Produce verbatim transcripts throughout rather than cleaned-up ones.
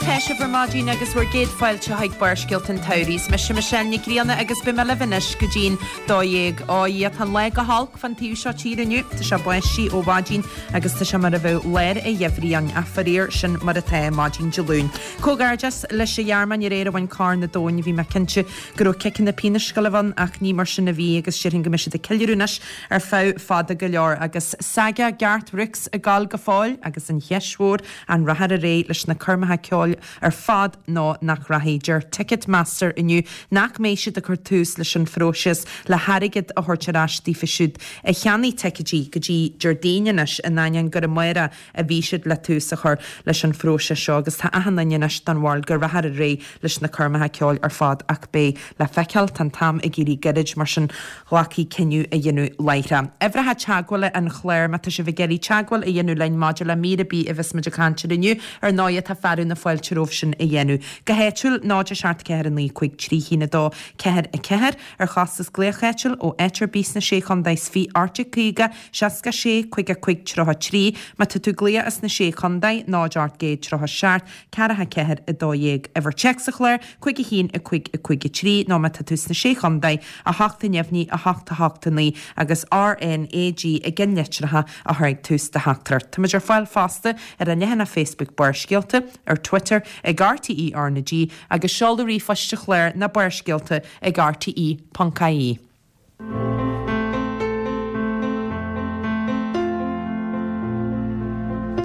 atá sibh ar maidin agus bhur gcéad fáilte chuig Barrscéalta an tSamhraidh. Is mise Michelle Nic Grianna agus beidh mé libh anois go dtí'n dó dhéag. Ó a Dhia, tá an lá go holc fan taobh seo tíre inniu, tá sé báistí ó mhaidin agus tá sé mar a bheadh lár an gheimhridh ann, ach faraor sin mar atá maidin Dé Luain. Comhghairdeas leis an Ghearmáin aréir a bhain Corn an Domhain, bhí mé cinnte go raibh ciceanna pionóis ag gabháil a bheith ann ach ní mar sin a bhí agus déarfainn go mbeidh siad ag ceiliúradh anois ar feadh fada go leor agus saga Garth Brooks ag gabháil go fóill agus an cheist mhór an rachfar ar aghaidh leis na coirmeacha ceoil ar fad nó nach rachaidh. Deir Ticketmaster inniu nach mbeidh siad ag cur tús leis an phróiseas le hairgead a thabhairt ar ais daofa siúd a cheannaigh ticéidí go dtí Déardaoin anois in ainneoin gur amárach a bhí siad le tús a chur leis an phróiseas seo agus tá achan duine anois den bharúil go rachfar ar aghaidh leis na coirmeacha ceoil ar fad ach beidh le feiceáil, tá an t-am ag éirí gairid mar sin glacfaidh cinneadh a dhéanamh láithreach. Uimhreacha teagmhála an chláir má tá sibh ag iarraidh teagmháil a dhéanamh linn maidir le mír ar bith a bheas muid ag caint air inniu, ar ndóigh tá fearadh na fáilte romhaibh sin a dhéanamh. Go háitiúil, náid a seacht ceathair a naoi cúig trí haon a dó ceathair a ceathair, ar chostas glaoch áitiúil ó áit ar bith sna Sé Chontae is fiche ocht déag caoga seasca sé caoga cúig tríocha trí, má tá tú ag glaoch as na Sé Chontae, náid ocht gcéad tríocha seacht ceathracha ceathair a dó dhéag. Uimhir téacs an chláir, cúig a haon a cúig a cúig a trí, nó má tá tú sna Sé Chontae, a hocht a neamhní a hocht a hocht a naoi agus R N A G i gceannlitreacha a chur ag tús do theachtaireacht. Táimid ar fáil fosta ar an leathanach Facebook Barrscéalta, ar Twitter ag R T E R N G agus seoladh ríomhphoist an chláir ná Barrscéalta ag R T E ponc I E.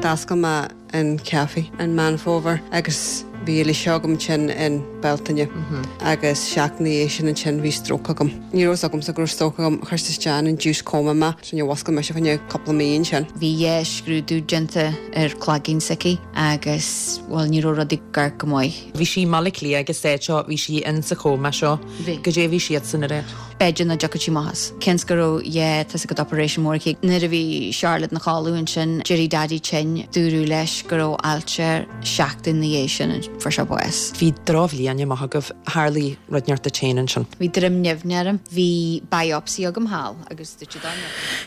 D'oscail mé an café in Meán Fómhair agus bhí Alicia agam ansin in Bealtaine agus seachtain ina dhiaidh sin ansin bhí stroke agam. Ní raibh a fhios agamsa go raibh stroke agam, chuir siad isteach in induced coma mé, so níor mhuscail mise fá choinne cúpla mí ansin. Bhí dhá scrúdú déanta ar cloigeann s'aici agus bhuel ní raibh rudaí ag amharc go maith. Bhí sí i mBaile Átha Cliath agus é seo bhí sí in sa chóma seo. Bhí. Goidé bhí siadsan ag rá. B'fhéidir nach dtiocfadh sí amach as. Cionn is go raibh dhá tá a fhios agat operation mór aici. Nuair a bhí Charlotte ina chodladh ansin, d'éirigh Daddy tinn, dúradh leis go raibh ailse air seachtain ina dhiaidh sin fuair sé bás. Bhí drochbhliain amach agaibh, tharlaigh rud inteacht duit féin ansin. Bhí droim nimhne orm, bhí biopsy agam thall agus dúirt siad dá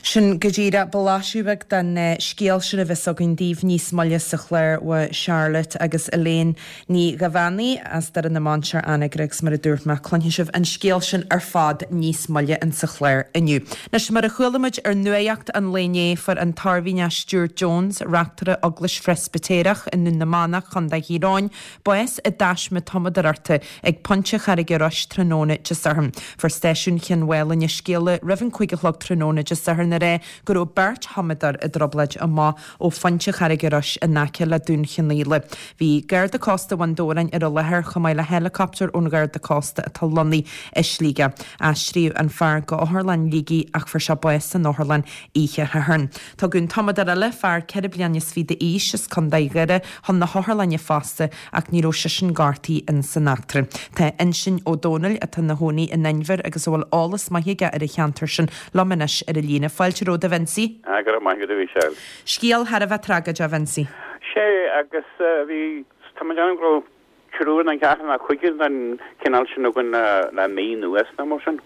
Sin go díreach blaiseadh beag den scéal sin a bheas againn daoibh níos moille sa chlár uaidh Charlotte agus Elaine Ní Ghabhánaigh as Doire na Mainsear Anagaire agus mar a dúirt mé cluinfidh sibh an scéal sin ar fad níos moille insa chlár inniu. Anois mar a chuala muid ar nuacht an lae inné fuair an tOirmhinneach Stuart Jones, reachtaire Eaglais Phreispitéireach i nDún na Manach, Contae Thír Eoghain, bás i dtaisme tumadóireachta ag Pointe Charraige Rois tráthnóna Dé Sathairn. Fuair stáisiún Chionn Mhálanna scéala roimh an cúig a chlog tráthnóna Dé Sathairn ag rá go raibh beirt thumadóir i dtrioblóid amach ó Phointe Charraige Rois in aice le Dún Chionnaola. Bhí Garda Cósta Bhun Dobhráin ar an láthair chomh maith le héileacaptar ón Gharda Cósta atá lonnaithe i Sligeach. Aistríodh an fear go Otharlann Shligigh ach fuair sé bás san otharlann oíche Shathairn. Tugadh an tumadóir eile, fear ceithre bliana is fiche d'aois as Contae Dhoire, chun na hotharlainne fosta ach ní raibh seisean gortaithe in san eachtra. Tá Uinseann Ó Domhnaill, atá ina chónaí in Inbhir agus a bhfuil eolas maith aige ar an cheantar sin, liom anois ar an líne. Fáilte romhat a Vincie. Ah, go raibh maith agat a Mhichelle. Scéal thar a bheith tragóideach, a Vincie. Sé, agus bhí, tá mé ag déanamh go raibh triúr nó ceathrar nó cúigear den chineál sin againn le mí anuas nó mar sin.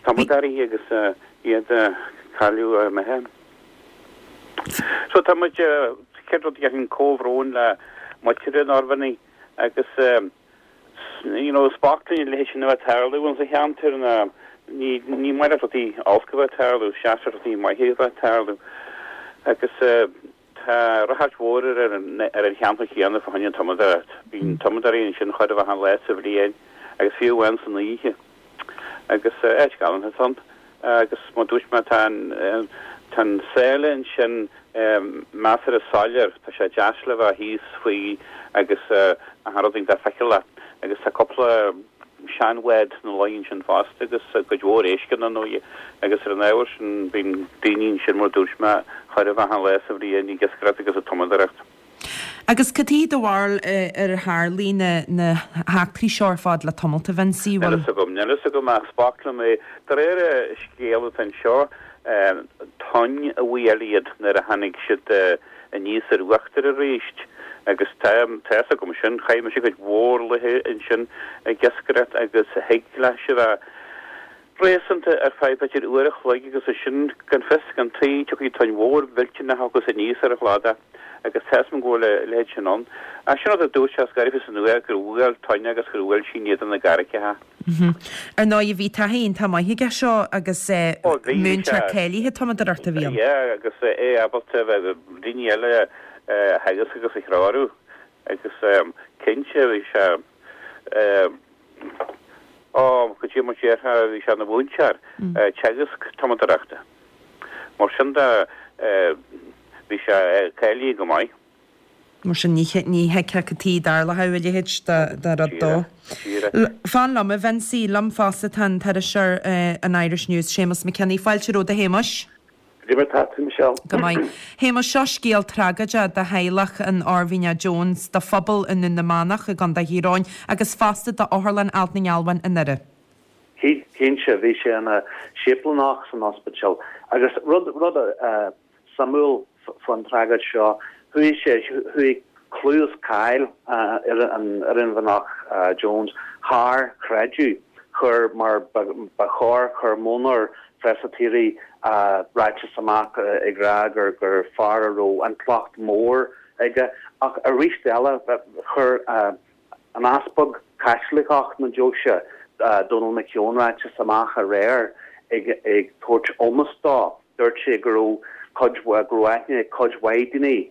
Tumadóirí agus iad cailleadh imithe. So tá muid, chéad rud a dhéarfainn comhbhrón le muintir an Oirmhinnigh agus you know is bocht linn a leithéid sin a bheith ag tarlú insa cheantar ná ní ní maith leat rudaí olca a bheith ag tarlú seachas rudaí maithe a bheith ag tarlú agus tá ráchairt mhór ar an ar an cheantar chéanna fá choinne an tumadóireacht. Bíonn tumadóirí ansin chóir a bheith achan lá sa bhliain agus fiú amháin san oíche. Agus áit galánta atá ann. Agus mar dúirt mé tá an tá an sáile ansin measartha soiléir, tá sé deas le bheith thíos faoi agus achan rud iontach feiceálach. Agus tá cúpla seanbhád ina luí ansin fosta agus cuid mhór éisc ann ar ndóigh. Agus ar an ábhar sin bíonn daoine ansin mar dúirt mé chóir a bheith achan lá sa bhliain ag iascaireacht agus ag tumadóireacht. Agus cad é do bharúil ar tharlaigh na na heachtraí seo ar fad le tamalt, a Vincie? Níl fhios agam, níl fhios agam ach is bocht liom é. De réir scéal atá anseo, tonn a bhuail iad nuair a tháinig siad aníos ar uachtar arís agus tá tá fhios agam sin, chaith mise cuid mhór laethe ansin ag iascaireacht agus thig leis a bheith réasúnta ar feadh b'fhéidir uair a chloig agus ansin gan fios gan tuí tiocfaidh tonn mhór mhillteanach agus aníos ar an chladach Agus tá a fhios agam go bhfuil a leithéid sin ann. Ach sin rud a dúirt sé scairbh san uair gur bhuail toinne agus gur bhuail sí in éadan na gcarraigeacha. Ar ndóigh bhí taithí iontach maith aige seo agus múinteoir cáilithe tumadóireachta a bhí ann. Yeah, agus é ábalta bheith daoine eile a theagasc agus a threorú agus cinnte bhí sé ó go dtí mo déarfá bhí sé ina mhúinteoir teagasc tumadóireachta. Mar sin de bhí sé cáilithe go maith. Mar sin ní thuigfeá cad chuige a dtarlódh a leithéid de rud dó. Fan liom, a Vincie, liom fosta tá an t-iriseoir an Irish News, Séamus McKinney. Fáilte romhat, a Shéamuis. Cad é mar tá tú, Michelle? Go maith. Shéamuis, seo scéal tragóideach do theaghlach an Oirmhinneach Jones, do phobal i nDún na Manach i gContae Thír Eoghain agus fosta d'Otharlann Alt na nGealbhan i nDoire. Cinnte, bhí sé ina shéiplíneach san ospidéal agus rud rud suimiúil faoin tragóid seo, chuaigh sé, chuaigh clú is cáil ar an Oirmhinneach Jones thar chreideamh, chuir, mar ba chóir, chuir modhnóir Preispitéirigh ráiteas amach ag rá gur gur fear a raibh intleacht mór aige ach arís eile chuir an Easpag Caitliceach na deoise, Donal McKeown ráiteas amach aréir ag ag tabhairt ómós dó. Dúirt sé go raibh cuid go raibh aithne ag cuid mhaith daoine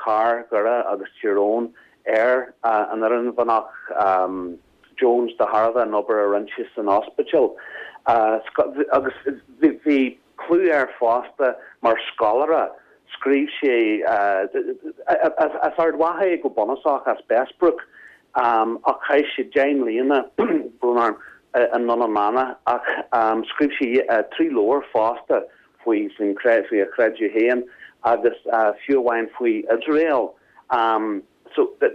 thar Dhoire agus Tír Eoghain ar an Oirmhinneach Jones de thairbhe an obair a rinne sé san ospidéal. Agus bhí clú air fosta mar scoláire. Scríobh sé, as Ard Mhacha é go bunúsach, as Bessbrook, ach chaith sé deich mbliana, brón orm, i nDún na Manach ach scríobh sé trí leabhar fosta faoi faoin faoi a chreideamh féin agus fiú amháin faoi Iosrael. So de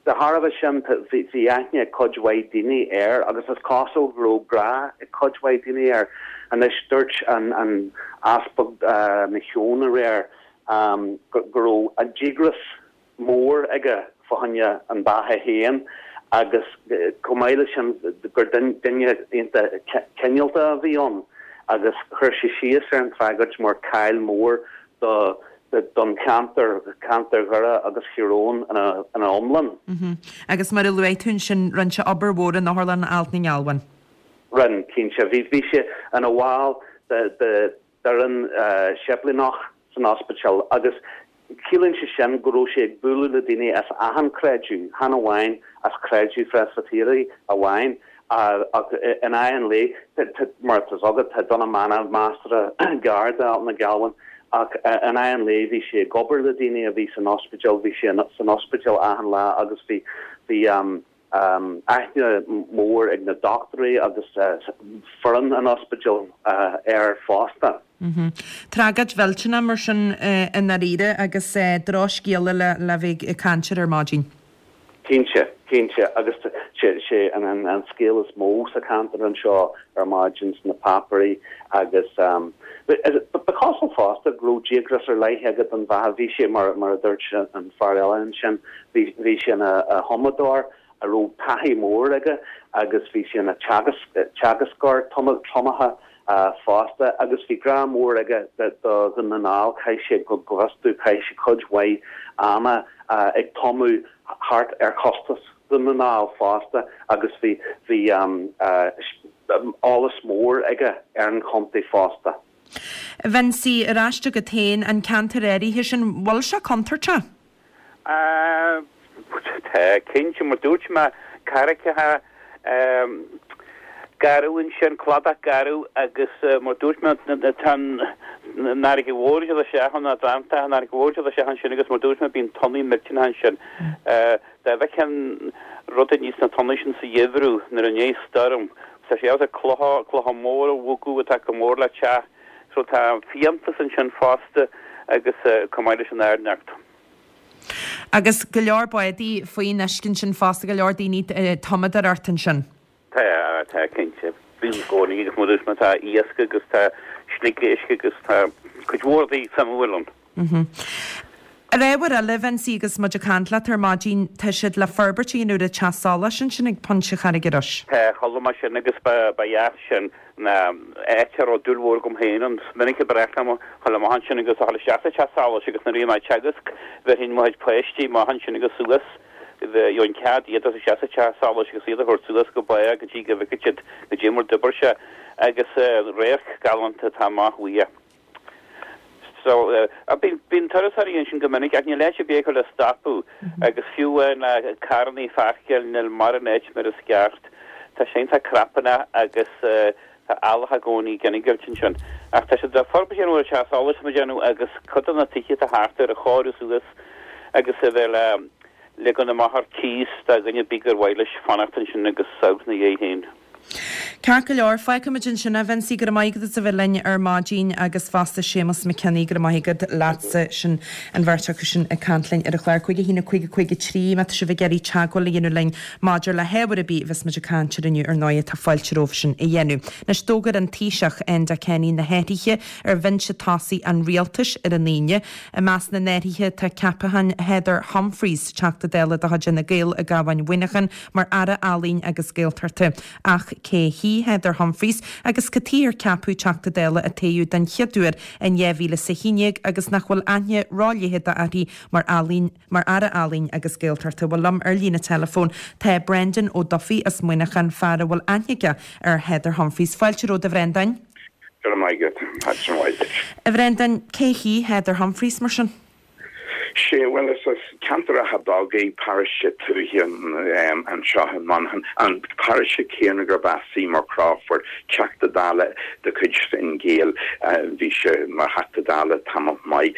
thairbhe sin bhí aithne ag cuid mhaith daoine air agus is cosúil go raibh grá ag cuid mhaith daoine air. Anois dúirt an an Easpag McKeown aréir go raibh an díograis mór aige fá choinne an beatha féin agus chomh maith leis sin gur duine iontach cineálta a bhí ann agus chuir sé síos ar an tragóid mar caill mór do don cheantar, ceantar Dhoire agus Thír Eoghain ina iomlán. Agus mar a luaigh tú ansin, rinne sé obair mhór in Otharlann Ailt na nGealbhan. Rinne, cinnte. Bhí bhí sé ina bhall de de d'fhoireann séiplíneach san ospidéal agus ciallaíonn sé sin go raibh sé ag bualadh le daoine as achan creideamh, chan amháin as creideamh Phreispitéirigh amháin ach in aghaidh an lae, mar atá fhios agat, tá Dún na Manach measartha gar d'Ailt na Gealbhan ach in aghaidh an lae bhí sé ag obair le daoine a bhí san ospidéal, bhí sé san ospidéal achan lá agus bhí bhí aithne mhór ag na dochtúirí agus foireann an ospidéil air fosta. Tragóid mhillteanach mar sin i ndáiríre agus drochscéala le bheith ag caint air ar maidin. Cinnte, cinnte agus sé an scéal is mó sa cheantar anseo ar maidin sna páipéirí agus ba chosúil fosta go raibh díograis ar leith aige don bheatha. Bhí sé, mar a dúirt an fear eile ansin, bhí sé ina thumadóir a raibh taithí mór aige agus bhí sé ina theagascóir tumaithe fosta agus bhí grá mór aige do Dhún na nGall. Chaith sé, go bhfios domh, chaith sé cuid mhaith ama ag tumadh thart ar chósta Dhún na nGall fosta agus bhí bhí eolas mór aige ar an chontae fosta. Vincie, ar ais agat féin, an ceantar áirithe sin, bhfuil sé contúirteach? Tá, cinnte, mar dúirt mé, carraigeacha garbh ansin, cladach garbh agus mar dúirt mé, tá an fharraige mhór ag dul isteach ann, an Atlantach, an fharraige mhór ag dul isteach ansin agus mar dúirt mé, bíonn tonnaí millteanacha ansin. Dá bhfeicfeá an rud a níos na tonnaí sin sa gheimhreadh nuair i ndiaidh stoirm, tá sé ábalta clocha, clocha móra a bhogadh atá chomh mór le teach. So tá fiántas ansin fosta agus chomh maith leis an airneacht. Agus go leor bádaí faoin uisce ansin fosta, go leor daoine ag tumadóireacht ansin. Tá, tá, cinnte. Bíonn i gcónaí agus mar a dúirt mé tá iasc agus tá sliogéisc agus tá cuid mhór rudaí suimiúil ann. Ar ábhar eile, Vincie, agus muid ag caint leat ar maidin, tá siad le forbairt a dhéanamh ar an teach solais ansin ag Pointe Charraig an Rois. Tá, chuala mé sin agus ba ba dheas sin ná áit a raibh dúil mhór agam féin ann. Is minic a ba bhreá liom a dhul amach ansin agus a dhul isteach sa teach solais agus nuair a bhí mé ag teagasc bheirfinn mo chuid páistí amach ansin agus suas gheobhainn cead iad a isteach sa teach solais agus iad a thabhairt suas go barr go dtí go bhfeicfeadh siad goidé mar d'oibir sé agus radharc galánta atá amach uaidh. So bíonn bíonn turasóirí ansin go minic ach níl áit ar bith acu le stopadh agus fiú na carrannaí a pháirceáil níl mórán áit mar is ceart. Tá sé iontach crapanna agus tá eallach i gcónaí ag innilt ansin. Ach tá siad le forbairt a dhéanamh ar an teach solais tá mé ag déanamh agus cuid de na tithe atá thart air a chóiriú suas agus a bheith le ligean amach ar cíos do dhuine ar bith gur mhaith leis fanacht ansin agus amharc ina dhiaidh féin. Ceart go leor, fágfaimid ansin é, Vincie, go raibh maith agat as a bheith linn ar maidin agus fosta Séamus McKinney, go raibh maith agat leatsa, sin an bheirt acu sin ag caint linn ar an chlár. Cúig a haon a cúig a cúig a trí, má tá sibh ag iarraidh teagmháil a dhéanamh linn maidir le hábhar ar bith a bheas muid ag caint air inniu ar ndóigh, tá fáilte romhaibh sin a dhéanamh. Anois d'fhógair an Taoiseach Enda Kenny na hathruithe ar bhinse tosaigh an rialtais ar an Aoine. I measc na n-athruithe tá ceapachán Heather Humphreys, Teachta Dála de chuid Fhine Gael i gCabhán Mhuineacháin, mar Aire Ealaíon agus Gaeltachta. Ach cé hí Heather Humphreys agus cad chuige ar ceapadh Teachta Dála a toghadh den chéad uair in dhá mhíle is a haon déag agus nach bhfuil aithne róleitheadach uirthi mar ealaín mar Aire Ealaíon agus Gaeltachta. Bhuel liom ar líne teileafóin tá Brendan Ó Dufaigh as Muineachán, fear a bhfuil aithne aige ar Heather Humphreys. Fáilte romhat a Bhrendáin. Go raibh maith agat. Maidin mhaith duit. A Bhrendáin, cé hí Heather Humphreys mar sin? Sé bhuel is as ceantar Átha Bogaigh, paróiste tuaithe anseo i Monaghan, an paróiste céanna gurb as Seymour Crawford, Teachta Dála de chuid Fine Gael, bhí sé mar Theachta Dála tamall maith.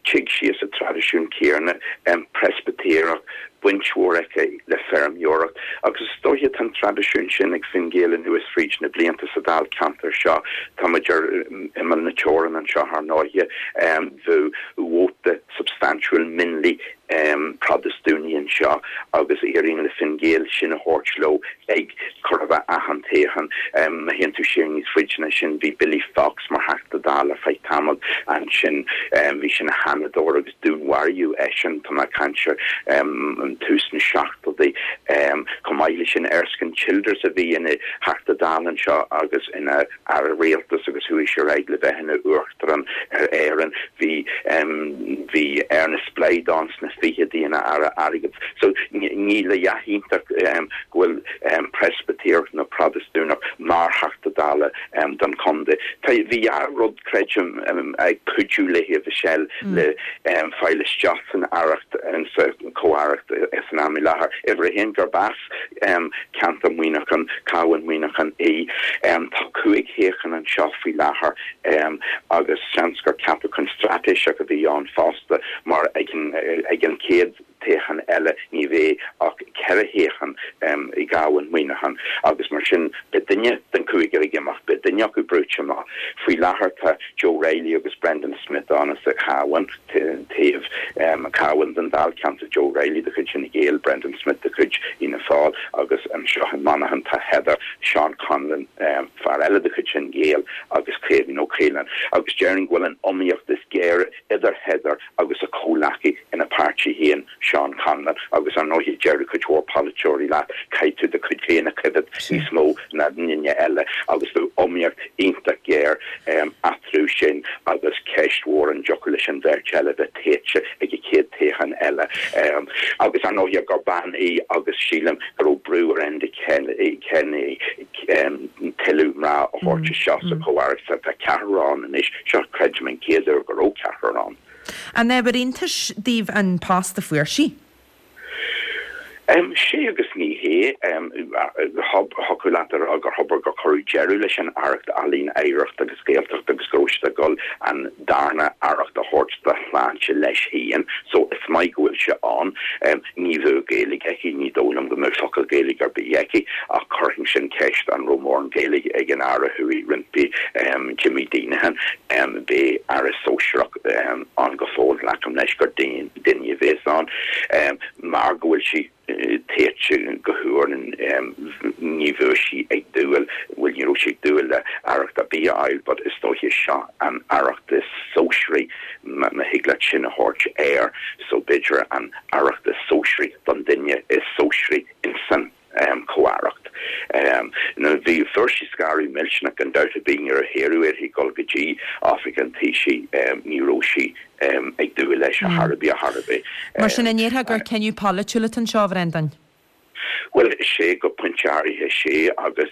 Tig sí as an traidisiún céanna, Preispitéireach, baint mhór aici le feirmeoireacht agus is dóiche tá an traidisiún sin ag Fine Gael anuas fríd na blianta sa Dáilcheantar seo. Tá muid ar imeall na teorann anseo ar ndóighe, bheadh vóta substaintiúil mionlaigh Protastúnaigh anseo agus éiríonn le Fine Gael sin a thabhairt leo ag chóir a bheith achan toghchán. Má théann tú siar níos faide ná sin bhí Billy Fox mar Theachta Dála ar feadh tamaill ansin bhí sé ina sheanadóir agus dúnmharaíodh eisean, tá mé ag caint ar tús na seachtóidí. Chomh maith leis sin Erskine Childers a bhí ina Theachta Dála anseo agus ina Aire Rialtais agus chuaigh sé ar aghaidh le bheith ina Uachtarán ar Éirinn. Bhí bhí Ernest Blythe ann sna fichidí ina Aire Airgid. So níl a dhath iontach go bhfuil Preispitéireach nó Protastúnach mar Theachta Dála don chontae. Tá bhí dhá rud creidim ag cuidiú léi Michelle le fáil isteach san aireacht sa chomh-aireacht san am i láthair. Uimhir a haon gurb as ceantar Mhuineacháin, Cabhán Mhuineacháin í. Tá cúig shuíochán anseo faoi láthair agus seans gur ceapachán straitéiseach a bhí ann fosta mar ag an ag an chéad toghchán eile ní bheidh ach ceithre shuíochán i gCabhán Mhuineacháin agus mar sin beidh duine den chúigear ag imeacht, beidh duine acu brúite amach. Faoi láthair tá Joe Reilly agus Brendan Smith ann as an Chabhán taobh Cabhán den Dáilcheantar, Joe Reilly de chuid Fhine Gael, Brendan Smith de chuid Fhianna Fáil agus anseo i Monaghan tá Heather, Seán Conlon, fear eile de chuid Fhine Gael agus Caoimhín Ó Caoláin agus déarfainn go bhfuil an iomaíocht is géire idir Heather agus a comhleacaí ina páirtí féin, Seán Conlon, agus ar ndóigh déarfaidh cuid mhór polaiteoirí leat, caithfidh tú do chuid féin a choimhéad níos mó ná duine eile agus bheadh iomaíocht iontach géar eatarthu sin agus ceist mhór an dtiocfadh leis an bheirt eile bheith tofa ag an chéad toghchán eile. Agus ar ndóigh gur bean í agus sílim go raibh brú ar Enda Kenny tuilleadh mná a thabhairt isteach sa chomh-aireacht. Tá ceathrar ann anois, seo creidim an chéad uair go raibh ceathrar ann. An ábhar iontais daoibh an post a fuair sí? Sea agus ní hé. Thiocfadh leat a rá gur thobair gur cuireadh deireadh leis an Aireacht Ealaíon, Oidhreacht agus Gaeltacht agus go raibh siad ag dul an darna aireacht a thabhairt do shláinte leis féin. So is maith go bhfuil sé ann. Ní bheadh Gaeilge aici, ní dóigh liom go mbeadh focal Gaeilge ar bith aici ach chuirfinn sin ceist an raibh mórán Gaeilge ag an Aire a chuaigh roimpi, Jimmy Deenihan. Beidh Aire sóisearach ann go fóill, glacaim leis gur duine a bheas ann mar go bhfuil sí. téite go huair ní bheadh sí ag dúil, bhuel ní raibh sí ag dúil le aireacht ar bith a fháil but is dóiche seo an aireacht is sóisearaí má thig leat sin a thabhairt air so b'fhéidir an aireacht is sóisearaí don duine is sóisearaí insan comh-aireacht. Now bhí fuair sí scaradh millteanach gan dabht ar bith nuair a hiarradh uirthi dul go dtí oifig an Taoisigh ní raibh sí ag dúil leis ar chor ar bith ar chor ar bith. Mar sin an ndéarfá gur cinneadh polaitiúil atá anseo, a Bhreandáin? Bhuel, sé go pointe áirithe sé agus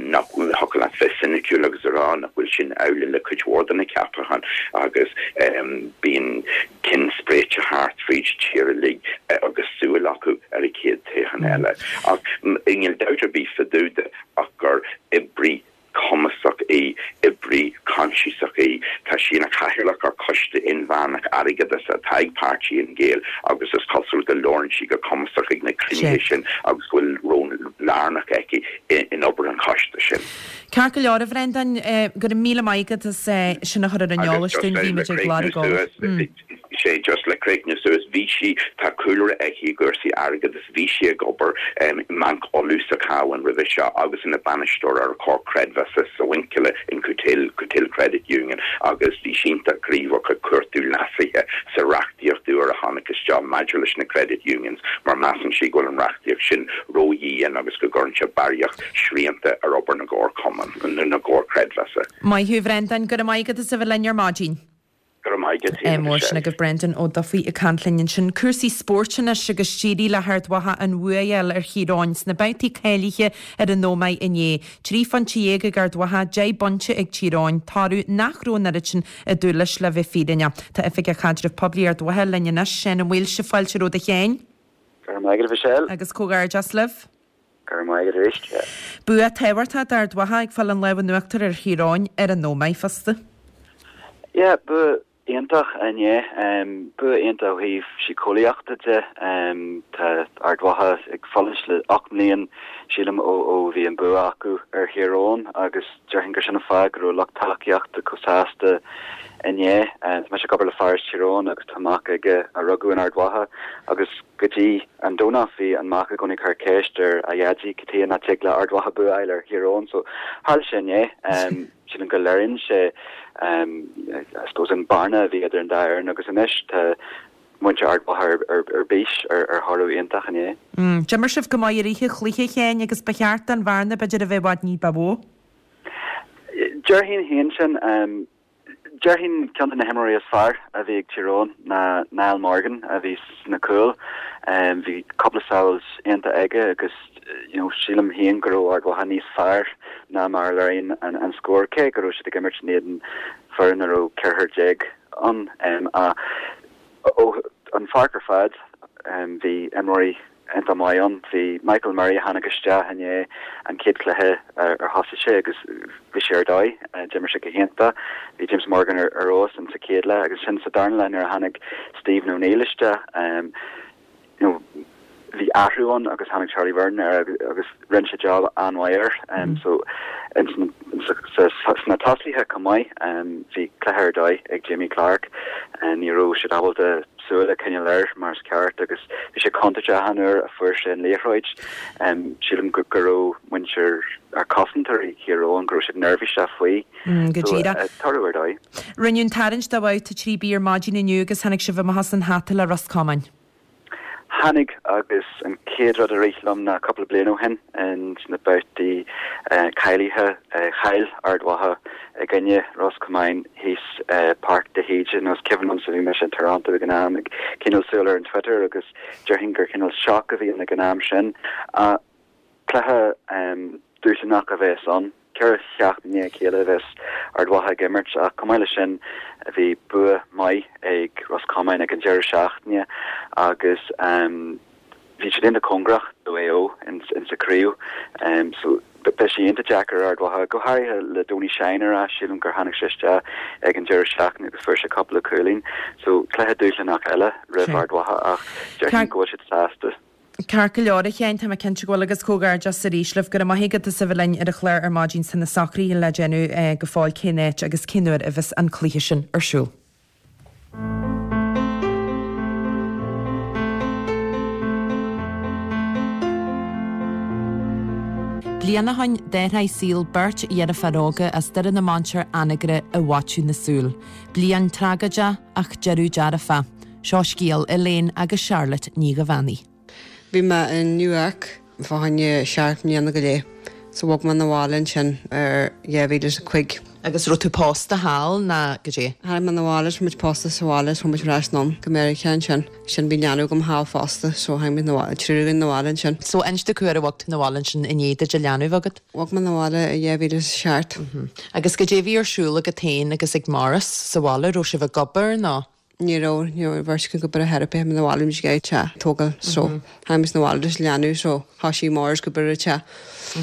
nach thiocfadh leat bheith soiniciúil agus a rá nach bhfuil sin amhlaidh le cuid mhór de na ceapacháin agus bíonn cinn spréite thart fríd an tír uilig agus súil acu ar an chéad toghchán eile. Ach níl dabht ar bith fá dtaobh de ach gur oibrí cumasach í, oibrí coinsiasach í. Tá sí ina cathaoirleach ar Choiste Inmheánach Airgeadais atá ag páirtí Fhine Gael agus is cosúil go labhrann sí go cumasach ag na cruinnithe sin agus go bhfuil ról lárnach aici in obair an choiste sin. Ceart go leor, a Bhreandáin, go raibh míle maith agat as sin a chur ar an eolas dúinn, bhí muid ag lorg eolais. Sé just le críochnú suas, bhí sí, tá cúlra aici i gcúrsaí airgeadais, bhí sí ag obair i mBanc Uladh sa Chabhán roimhe seo agus ina bainisteoir ar Chomhar Creidmheasa sa Mhuinchille in Cootehill, Cootehill Credit Union agus bhí sí iontach gníomhach ag cuartú leasuithe sa reachtaíocht úr a tháinig isteach maidir leis na credit unions mar measann sí go bhfuil an reachtaíocht sin ródhian agus go gcuireann sé barraíocht srianta ar obair na gcomharchumann, na gcomhar creidmheasa. Maith thú, a Bhreandáin, go raibh maith agat as a bheith linn ar maidin. Go raibh maith agat féin, a Mar sin Michelle. agaibh Brendan Ó Dufaigh ag caint linn ansin. Cúrsaí spóirt anois agus d'éirigh le hArd Mhacha an bhua a fháil ar Thír Eoghain sna babhtaí cáilithe ar an Ómaigh inné. Trí phointe dhéag ag Ard Mhacha, deich bpointe ag Tír Eoghain, toradh nach raibh an oiread sin ag dúil leis le bheith fírinneach. Tá Oifigeach Caidrimh Poiblí Ard Mhacha linn anois, Seán Ó Maoilse, fáilte romhat a Sheáin. Go raibh maith agat a Mhichelle. Agus comhghairdeas libh. Go raibh maith agat arís. Yeah. Bua tábhachtach d'Ard Mhacha ag fáil an lámh in uachtar ar Thír Eoghain ar an Ómaigh fosta. Yeah, bua iontach inné. Bua iontach ó thaobh síceolaíochta de. Tá Ard Mhacha ag fulaingt le ocht mbliain, sílim, ó ó bhí an bua acu ar Thír Eoghain agus déarfainn gur sin an fáth go raibh lucht tacaíochta chomh sásta inné. Tá mise ag obair le fear as Tír Eoghain agus tá mac aige a rugadh in Ard Mhacha agus go dtí an Domhnach bhí an mac i gcónaí ag cur ceist ar a dhaidí cad chuige nach dtig le Ard Mhacha bua a fháil ar Thír Eoghain so tharla sé inné. Sílim go léiríonn sé I suppose an bearna a bhí idir an dá fhoireann agus anois tá muintir Ard Mhacha ar bís ar thoradh iontach inné. D'imir sibh go maith i rith an chluiche, a Sheáin, agus ba cheart don bhearna b'fhéidir a bheith i bhfad ní ba mhó. Déarfainn féin sin. Déarfainn ceann de na himreoirí is fearr a bhí ag Tír Eoghain ná Niall Morgan a bhí sna cúil. Bhí cúpla sábháil iontach aige agus you know sílim féin go raibh Ard Mhacha níos fearr ná mar a léiríonn an scór, cé go raibh siad ag imirt in éadan foireann a raibh ceathrar déag ann. Ach ó an pháirc ar fad bhí imreoirí iontach maith ann. Bhí Michael Murray a tháinig isteach inné an chéad chluiche ar thosaigh sé agus bhí sé ar dóigh. D'imir sé go hiontach. Bhí James Morgan ar fheabhas in sa chéad leath agus ansin sa darna leath nuair a tháinig Stephen O'Neill isteach you know bhí athrú ann agus tháinig Charlie Byrne air agus rinne sé job an-mhaith air. So sna tosaithe chomh maith bhí cluiche ar dóigh ag Jamie Clarke. Ní raibh siad ábalta súil a choinneáil air mar is ceart agus bhí sé contúirteach achan uair a fuair sé an liathróid. Sílim go raibh muintir ar cosantóirí Thír Eoghain, go raibh siad neirbhíseach faoi. Go díreach. Toradh ar dóigh. Rinneadh an tarraingt do bhabhta trí B ar maidin inniu agus tháinig sibh amach as an hata le Ros Comáin. Tháinig agus an chéad rud a rith liom ná cúpla bliain ó shin ins na babhtaí cáilithe chaill Ard Mhacha i gcoinne Ros Comáin thíos i Páirc de hÍde. Nó is cuimhin liomsa bhí mise in Toronto ag an am ag coinneáil súil ar an Twitter agus déarfainn gur cineál shock a bhí ann ag an am sin. Ach cluiche dúshlánach a bheas ann. Ceithre sheachtain i ndiaidh a chéile a bheas Ard Mhacha ag imirt ach chomh maith leis sin bhí bua maith ag Ros Comáin ag an deireadh seachtaine agus bhí siad iontach cóngarach do Mhaigh Eo insa chraobh so beidh sé iontach deacair ar Ard Mhacha, go háirithe le Donie Shine ar ais, sílim gur tháinig sé isteach ag an deireadh seachtaine agus fuair sé cúpla cúilín so cluiche dúshlánach eile roimh Ard Mhacha ach déarfainn go bhfuil siad sásta. Ceart go leor, a Sheáin, tá mé cinnte go bhfuil agus comhghairdeas arís libh. Go raibh maith agat as a bheith linn ar an chlár ar maidin. Tá na socruithe le déanamh go fóill cén áit agus cén uair a bheas an cluiche sin ar siúl. Bliain ó shin d'athraigh saol beirt dheirféar óga as Doire na Mainsear Anagaire i bhfaiteadh na súl. Bliain tragóideach ach deireadh dearfa. Seo scéal Elaine agus Charlotte Ní Dhuibheannaigh. Bhí mé in New York fá choinne seacht mbliana go leith so bhog mé 'na bhaile ansin ar dhá mhíle is a cúig. Agus raibh tú pósta thall ná goidé? Tháinig mé 'na bhaile is muid pósta sa bhaile is chuaigh muid ar ais anonn go Meiriceá ansin. Sin bhí leanbh agam thall fosta so tháinig muid 'na bhaile, triúr againn 'na bhaile ansin. So inis domh cá huair a bhog tú 'na bhaile ansin i ndiaidh duit an leanbh a bheith agat? Bhog mé 'na bhaile i dhá mhíle is a seacht. Agus goidé a bhí ar siúl agat féin agus ag Maurice sa bhaile, raibh sibh ag obair nó? Ní raibh, ní raibh bheirt againn ag obair ar chor ar bith, 'na bhaile muid ag teach tógáil so tháinig muid 'na bhaile leis an leanbh so thoisigh Maurice ag obair ar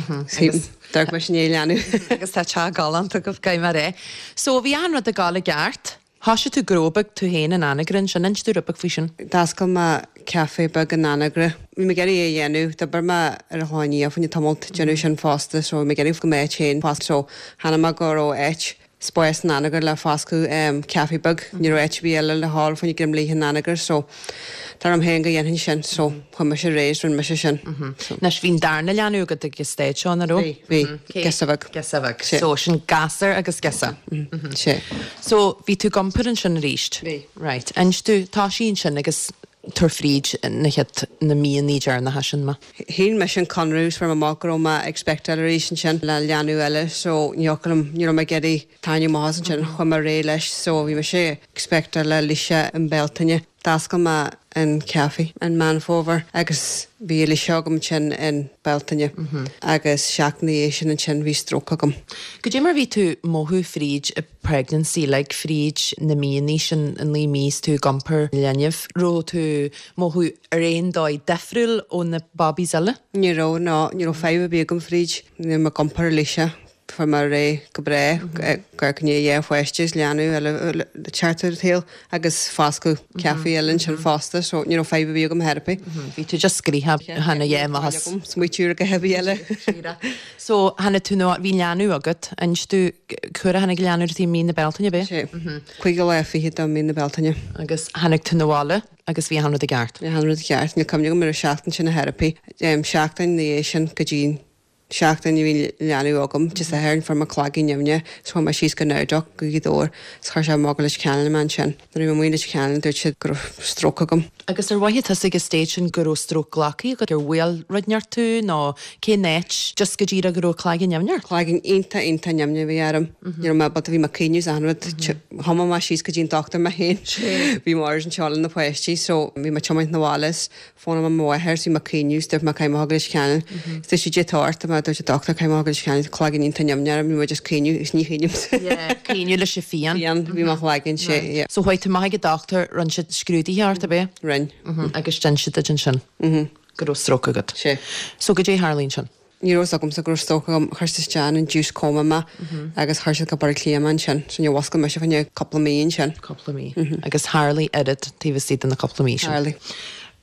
an teach. D'amharc mise i ndiaidh an leanbh. Agus tá teach galánta agaibh, caithfidh mé a rá. So bhí achan rud ag dul i gceart. Thoisigh tú gnó beag tú féin in Anagaire ansin, inis domh rud beag faoi sin. D'oscail mé café beag in Anagaire. Bhí mé ag iarraidh é a dhéanamh, d'oibir mé ar an Chlochán Liath fá choinne tamalt déanamh sin fosta so bhí mé ag iarraidh go mbeadh áit féin fosta so chonaic mé go raibh áit spás in Anagaire le foscadh café beag. Ní raibh áit ar bith eile le fáil fá choinne Droim Liath in Anagaire so dar liom féin go dhéanfainn sin so chuaigh mise ar aghaidh is rinne mise sin. Anois bhí an darna leanbh agat ag an stage seo, nach raibh? Bhí, bhí. Girseach bheag. Girseach bheag. So sin gasúr agus girseach. Sea. So bhí tú ag iompar ansin arís? Bhí. Right. Inis domh, toisigh ansin agus tabhair fríd na chéad, na míonna deireanacha sin mé. Shín mise an conradh is fuair mé amach go raibh mé expectáil arís ansin le leanbh eile so ní thiocfadh liom, ní raibh mé ag iarraidh tarraingt amach as ansin, chuaigh mé ar aghaidh leis so bhí mise expectáil le Alicia i mBealtaine. D'oscail mé an café in Meán Fómhair agus bhí Alicia agam ansin in Bealtaine agus seachtain ina dhiaidh sin ansin bhí stróc agam. Goidé mar bhí tú mothú fríd an pregnancy like fríd na míonna sin, an naoi mí is tú ag iompar linbh, raibh tú mothú ar aon dóigh difriúil ó na babies eile? Ní raibh, no, ní raibh fadhb ar bith agam fríd, ní raibh mé ag iompar Alicia. Fuair mé ar aghaidh go breá, gur gné dhá pháiste is leanbh eile le teacht ar an tsaol agus foscadh café eile ansin fosta so ní raibh fadhb ar bith agam ar chor ar bith. Bhí tú just gnoitheach chan a dhá maitheas. Smaoitiú ar a dhath ar bith eile. So tháinig tú nó bhí leanbh agat, inis domh cá huair a tháinig leanbh ar an tsaol mí na Bealtaine, ab é? Sé. Cúigiú lá fichead de mí na Bealtaine. Agus tháinig tú 'na bhaile agus bhí achan rud i gceart? Bhí achan rud i gceart, níl cuimhne agam ar an seachtain sin ar chor ar bith. Seachtain ina dhiaidh sin go dtí seachtain a bhí leanbh agam, Dé Sathairn fuair mé cloigeann nimhneach is chuaigh mé síos go Nowdoc go Gaoth Dobhair is chuir sé amach go Leitir Ceanainn mé ansin. Nuair a bhí mé amuigh i Leitir Ceanainn dúirt siad go raibh stróc agam. Agus ar mhothaigh tusa ag an stage sin go raibh stróc glactha agat, ar bhuail rud inteacht tú nó cén áit, just go díreach go raibh cloigeann nimhneach ort? Cloigeann iontach iontach nimhneach a bhí orm. Ní raibh mé ábalta, bhí mé ag caoineadh is achan rud. Thiomáin mé síos go dtí an dochtúir mé féin. Bhí Maurice anseo le na páistí so bhí mé ag tiomáint 'na bhaile is Fónaim mo mháthair is bhí mé ag caoineadh is dúirt mé caithfidh mé a ghabháil go Leitir Ceanainn. Is dúirt sí goidé atá ort a dúirt an dochtúir caithfidh mé a ghabháil go Leitir Ceanainn cloigeann iontach nimhneach orm bhí mé just caoineadh is ní chaoinim. Yeah, caoineadh leis an phian. Pian, bhí mo chloigeann sé, yeah. So chuaigh tú amach ag an dochtúir, rinne siad scrúduithe ort, ab é? Rinn. Agus d'inis siad duit ansin go raibh stróc agat. Sé. So goidé a tharla ansin? Ní raibh fhios agamsa go raibh stróc agam. Chuir siad isteach in induced coma mé agus chuir siad go Baile Átha Cliath mé ansin. So níor mhuscail mise fá choinne cúpla mí ansin. Cúpla mí. Agus tharlaigh oiread taobh istigh de na cúpla mí sin. Tharlaigh.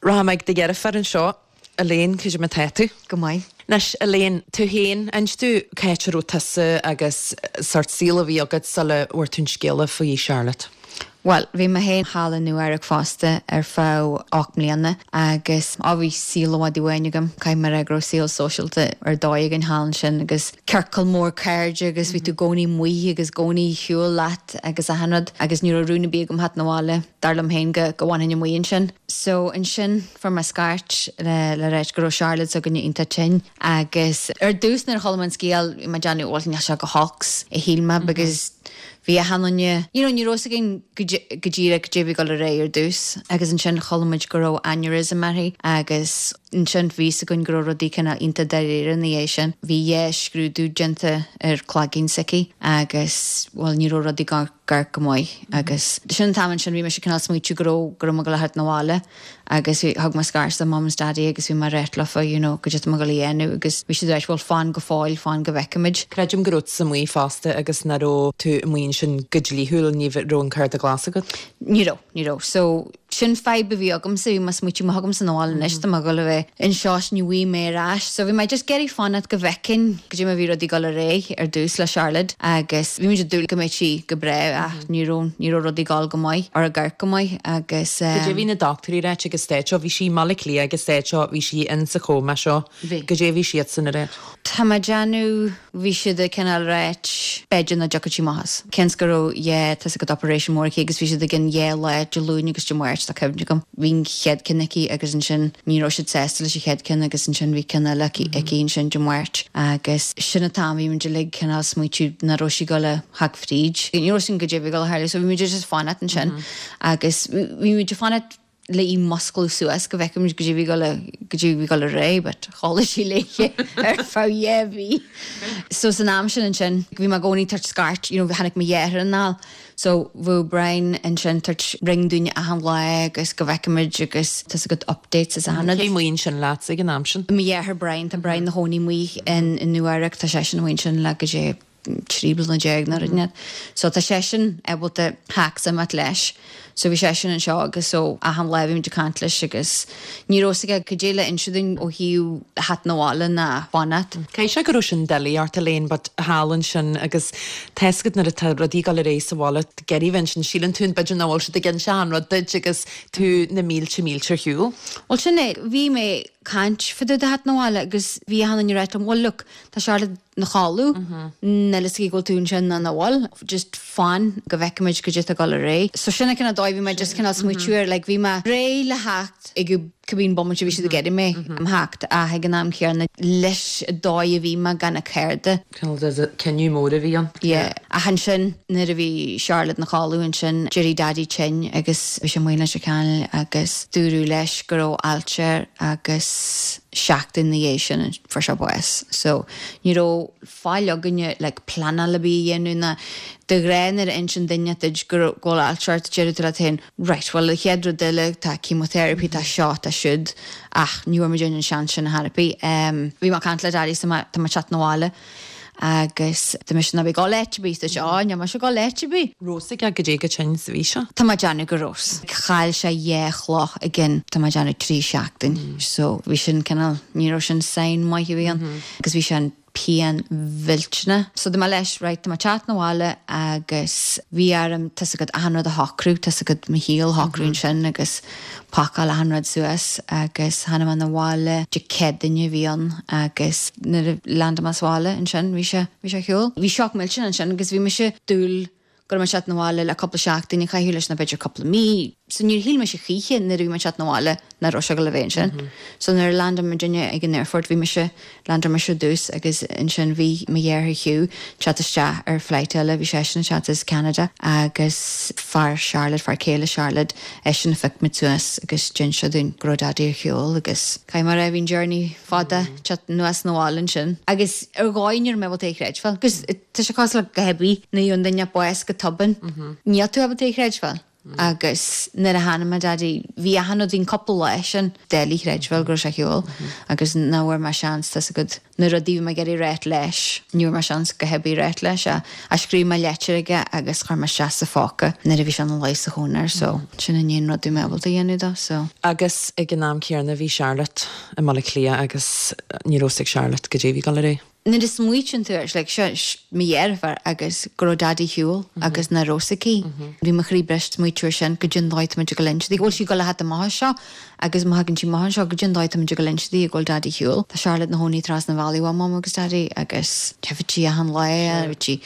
Rachaidh mé ag do dheirfiúr anseo, Elaine, cad é mar atá tú? Go maith. Anois, Elaine, tú féin, inis domh cá háit a raibh tusa agus sórt saol a bhí agat sula bhfuair tú an scéala faoi Charlotte. Bhuel, bhí mé féin thall i Nua Eabhrac fosta ar feadh ocht mbliana agus á bhí saol i bhfad uainn agam. Caithfidh mé a rá go raibh saol sóisialta ar dóigh againn thall ansin agus ciorcal mór cairde agus bhí tú i gcónaí amuigh agus i gcónaí ar shiúl leat agus achan rud agus ní raibh rún ar bith agam theacht 'na bhaile, dar liom féin go go bhfanfainn amuigh ansin. So ansin fuair mé scairt le le ráit go raibh Charlotte s'againne iontach tinn agus ar dtús nuair a chuala mé an scéal bhí mé ag déanamh bhuel níl sé go holc a shíl mé because Bhí achan duine, you know, ní raibh fhios againn go díreach goidé a bhí ag dul ar aghaidh ar dtús agus ansin chuala muid go raibh aneurysm uirthi agus ansin bhí fhios againn go raibh rudaí cineál iontach dáiríre ina dhiaidh sin. Bhí dhá scrúdú déanta ar cloigeann s'aici agus, bhuel, ní raibh rudaí ag amharc go maith agus sin an t-am ansin bhí mise cineál smaoitiú go raibh, go raibh mé ag dul a theacht 'na bhaile. Agus bhí, thug mé scairt do Mum is Daddy agus bhí mé ag ráit leofa, you know, goidé atá mé ag dul a dhéanamh agus bhí siad ag ráit, bhuel fan go fóill, fan go bhfeicfimid. Creidim go raibh tusa amuigh fosta agus nach raibh tú amuigh ansin go dlíthiúil, ní raibh an cárta glas agat? Ní raibh, ní raibh. So, Sin fadhb a bhí agamsa, bhí mé ag smaoitiú má thagaimse 'na bhaile anois tá mé ag dul a bheith anseo is ní bhfaighidh mé ar ais. So bhí mé just ag iarraidh fanacht go bhfeicfinn goidé mar bhí rudaí ag dul ar aghaidh ar dtús le Charlotte agus bhí muid ag dúil go mbeadh sí go breá ach ní raibh ní raibh rudaí ag dul go maith or ag amharc go maith agus Goidé bhí na dochtúirí ag ráit ag an stage seo, bhí sí i mBaile Átha Cliath ag an stage seo, bhí sí in sa chóma seo. Bhí. Goidé bhí siadsan ag ráit. Tá mé ag déanamh bhí siad ag cineál ráit b'fhéidir nach dtiocfadh sí amach as. Cionn is go raibh dhá tá a fhios agat operation mór aici agus bhí siad ag an dhá lá Dé Luain agus Dé Máirt tá cuimhne agam. Bhí an chéad ceann aici agus ansin ní raibh siad sásta leis an chéad ceann agus ansin bhí ceann eile aici aici ansin Dé Máirt agus sin an t-am bhí muid uilig cineál smaoitiú nach raibh sí ag dul a theacht fríd. Ní raibh sin goidé bhí ag dul a tharlú so bhí muid just fanacht ansin agus bhí muid ag fanacht le í musclú suas go bhfeicfimid goidé bhí ag dul goidé bhí ag dul ar aghaidh, but chodlaigh sí léi ar feadh dhá mhí. So san am sin ansin bhí mé i gcónaí tabhairt scairt, you know, tháinig mo dheartháir anall. So bhí Brian ansin tabhairt ring dúinn achan lá agus go bhfeicfimid agus tá a fhios agat updates is achan rud. Cé amuigh ansin leat ag an am sin? Mo dheartháir Brian, tá Brian ina chónaí amuigh in in Nua-Eabhrac, tá seisean amuigh ansin le goidé trí bliana déag nó rud inteacht. So tá seisean ábalta theacht imeacht leis. So bhí seisean anseo agus so achan lá bhí muid ag caint leis agus ní raibh a fhios aige goidé le inse dúinn ó thaobh theacht 'na bhaile ná fanacht. Caithfidh sé go raibh sin doiligh ort Elaine, but thall ansin agus tá a fhios agat nuair atá rudaí ag dul ar aghaidh sa bhaile ag iarraidh bheith ansin síleann tú b'fhéidir nach bhfuil siad ag inse an rud duit agus tú na mílte mílte ar shiúl. Well sin é, bhí mé caint fá dtaobh de theacht 'na bhaile agus bhí achan duine ag ráit liom, well look, tá Charlotte 'na chodladh, níl a fhios aici go bhfuil tú ansin ná nach bhfuil, just fan go bhfeicfimid goidé atá ag dul ar aghaidh. So sin an cineál dóigh bhí mé just cineál smaoitiú air, like bhí mé réidh le theacht ag cibé bomaite a bhí siad ag iarraidh mé a theacht ach ag an am céanna leis an dóigh a bhí mé gan na cairde. Cineál de cinneadh mór a bhí ann. Yeah. Ach ansin nuair a bhí Charlotte 'na chodladh ansin d'éirigh Daddy tinn agus bhí sé amuigh i Leitir Ceanainn agus dúradh leis go raibh ailse air agus seachtain ina dhiaidh sin fuair sé bás. So ní raibh faill againne like pleanáil ar bith a dhéanamh ná de ghnáth nuair a insíonn duine duit go raibh go bhfuil ailse ort deir tú leat féin right well an chéad rud eile tá chemotherapy tá seo tá siúd ach ní bhfuair muid an seans sin ar bith. Um, bhí mé ag caint le Daddy so tá mé ag teacht 'na bhaile agus tá mise ná bí ag dul áit ar bith dúirt sé á níl mise ag dul áit ar bith. Raibh a fhios aige goidé chomh tinn is a bhí sé. Tá mé ag déanamh go raibh. Chaill sé dhá chloch i gcionn tá mé ag déanamh trí seachtain. So bhí sin cineál ní raibh sin sign maith a bhí ann agus bhí sé an pian mhillteanach. So dúirt mé leis right tá mé ag teacht 'na bhaile agus bhí orm tá a fhios agat achan rud a shocrú tá a fhios agat mo shaol a shocrú ansin agus pacáil achan rud suas agus tháinig mé 'na bhaile Dé Céadaoine a bhí ann agus nuair a land mé sa bhaile ansin bhí sé bhí sé ar shiúl. Bhí shock millteanach ansin agus bhí mise ag dúil go raibh mé ag teacht 'na bhaile le cúpla seachtain a chaitheamh leis nó b'fhéidir cúpla mí. So níor shíl mise choíche nuair a bhí mé ag teacht 'na bhaile nach raibh sé ag dul a bheith ansin. So nuair a land muidinne ag an airport bhí mise land mise ar dtús agus ansin bhí mo dheartháir Hugh teacht isteach ar flight eile bhí seisean ag teacht as Canada agus fear Charlotte fear céile Charlotte eisean a phioc muid suas agus d'inis sé dúinn go raibh Daddy ar shiúl agus caithfidh mé a rá bhí an journey fada teacht anuas 'na bhaile ansin. Agus ar dhóigh ní raibh mé ábalta é a chreidbheáil, agus tá sé cosúil le go heavy nuair a gheobhann duine bás go tobann. Níl tú ábalta é a chreidbheáil. Agus nuair a tháinig mé Daddy bhí achan rud bhí an cúpla lá sin doiligh a chreidbheáil go raibh sé ar shiúl agus nach bhfuair mé seans tá a fhios agat na rudaí bhí mé ag iarraidh ráit leis ní bhfuair mé seans go hebí ráit leis a a scríobh mé leitir aige agus chuir mé isteach sa phóca nuair a bhí sé ina luí sa chónair so sin an aon rud bhí mé ábalta a dhéanamh dó so. Agus ag an am céanna bhí Charlotte i mBaile Átha Cliath agus ní raibh a fhios ag Charlotte goidé bhí ag dul ar aghaidh. Nuair a smaoitíonn tú air like seo mo dheirfiúr agus go raibh Daddy ar shiúl agus nach raibh a fhios aici. Bhí mo chroí briste smaoitiú air sin goidé an dóigh tá muid ag dul inse di. Go bhfuil sí ag dul a theacht amach anseo agus má thagann sí amach anseo goidé an dóigh tá muid ag dul inse di go bhfuil Daddy ar shiúl. Tá Charlotte 'na chónaí trasna an bhealaigh ó Mum agus Daddy agus bhí sí achan lá bhí sí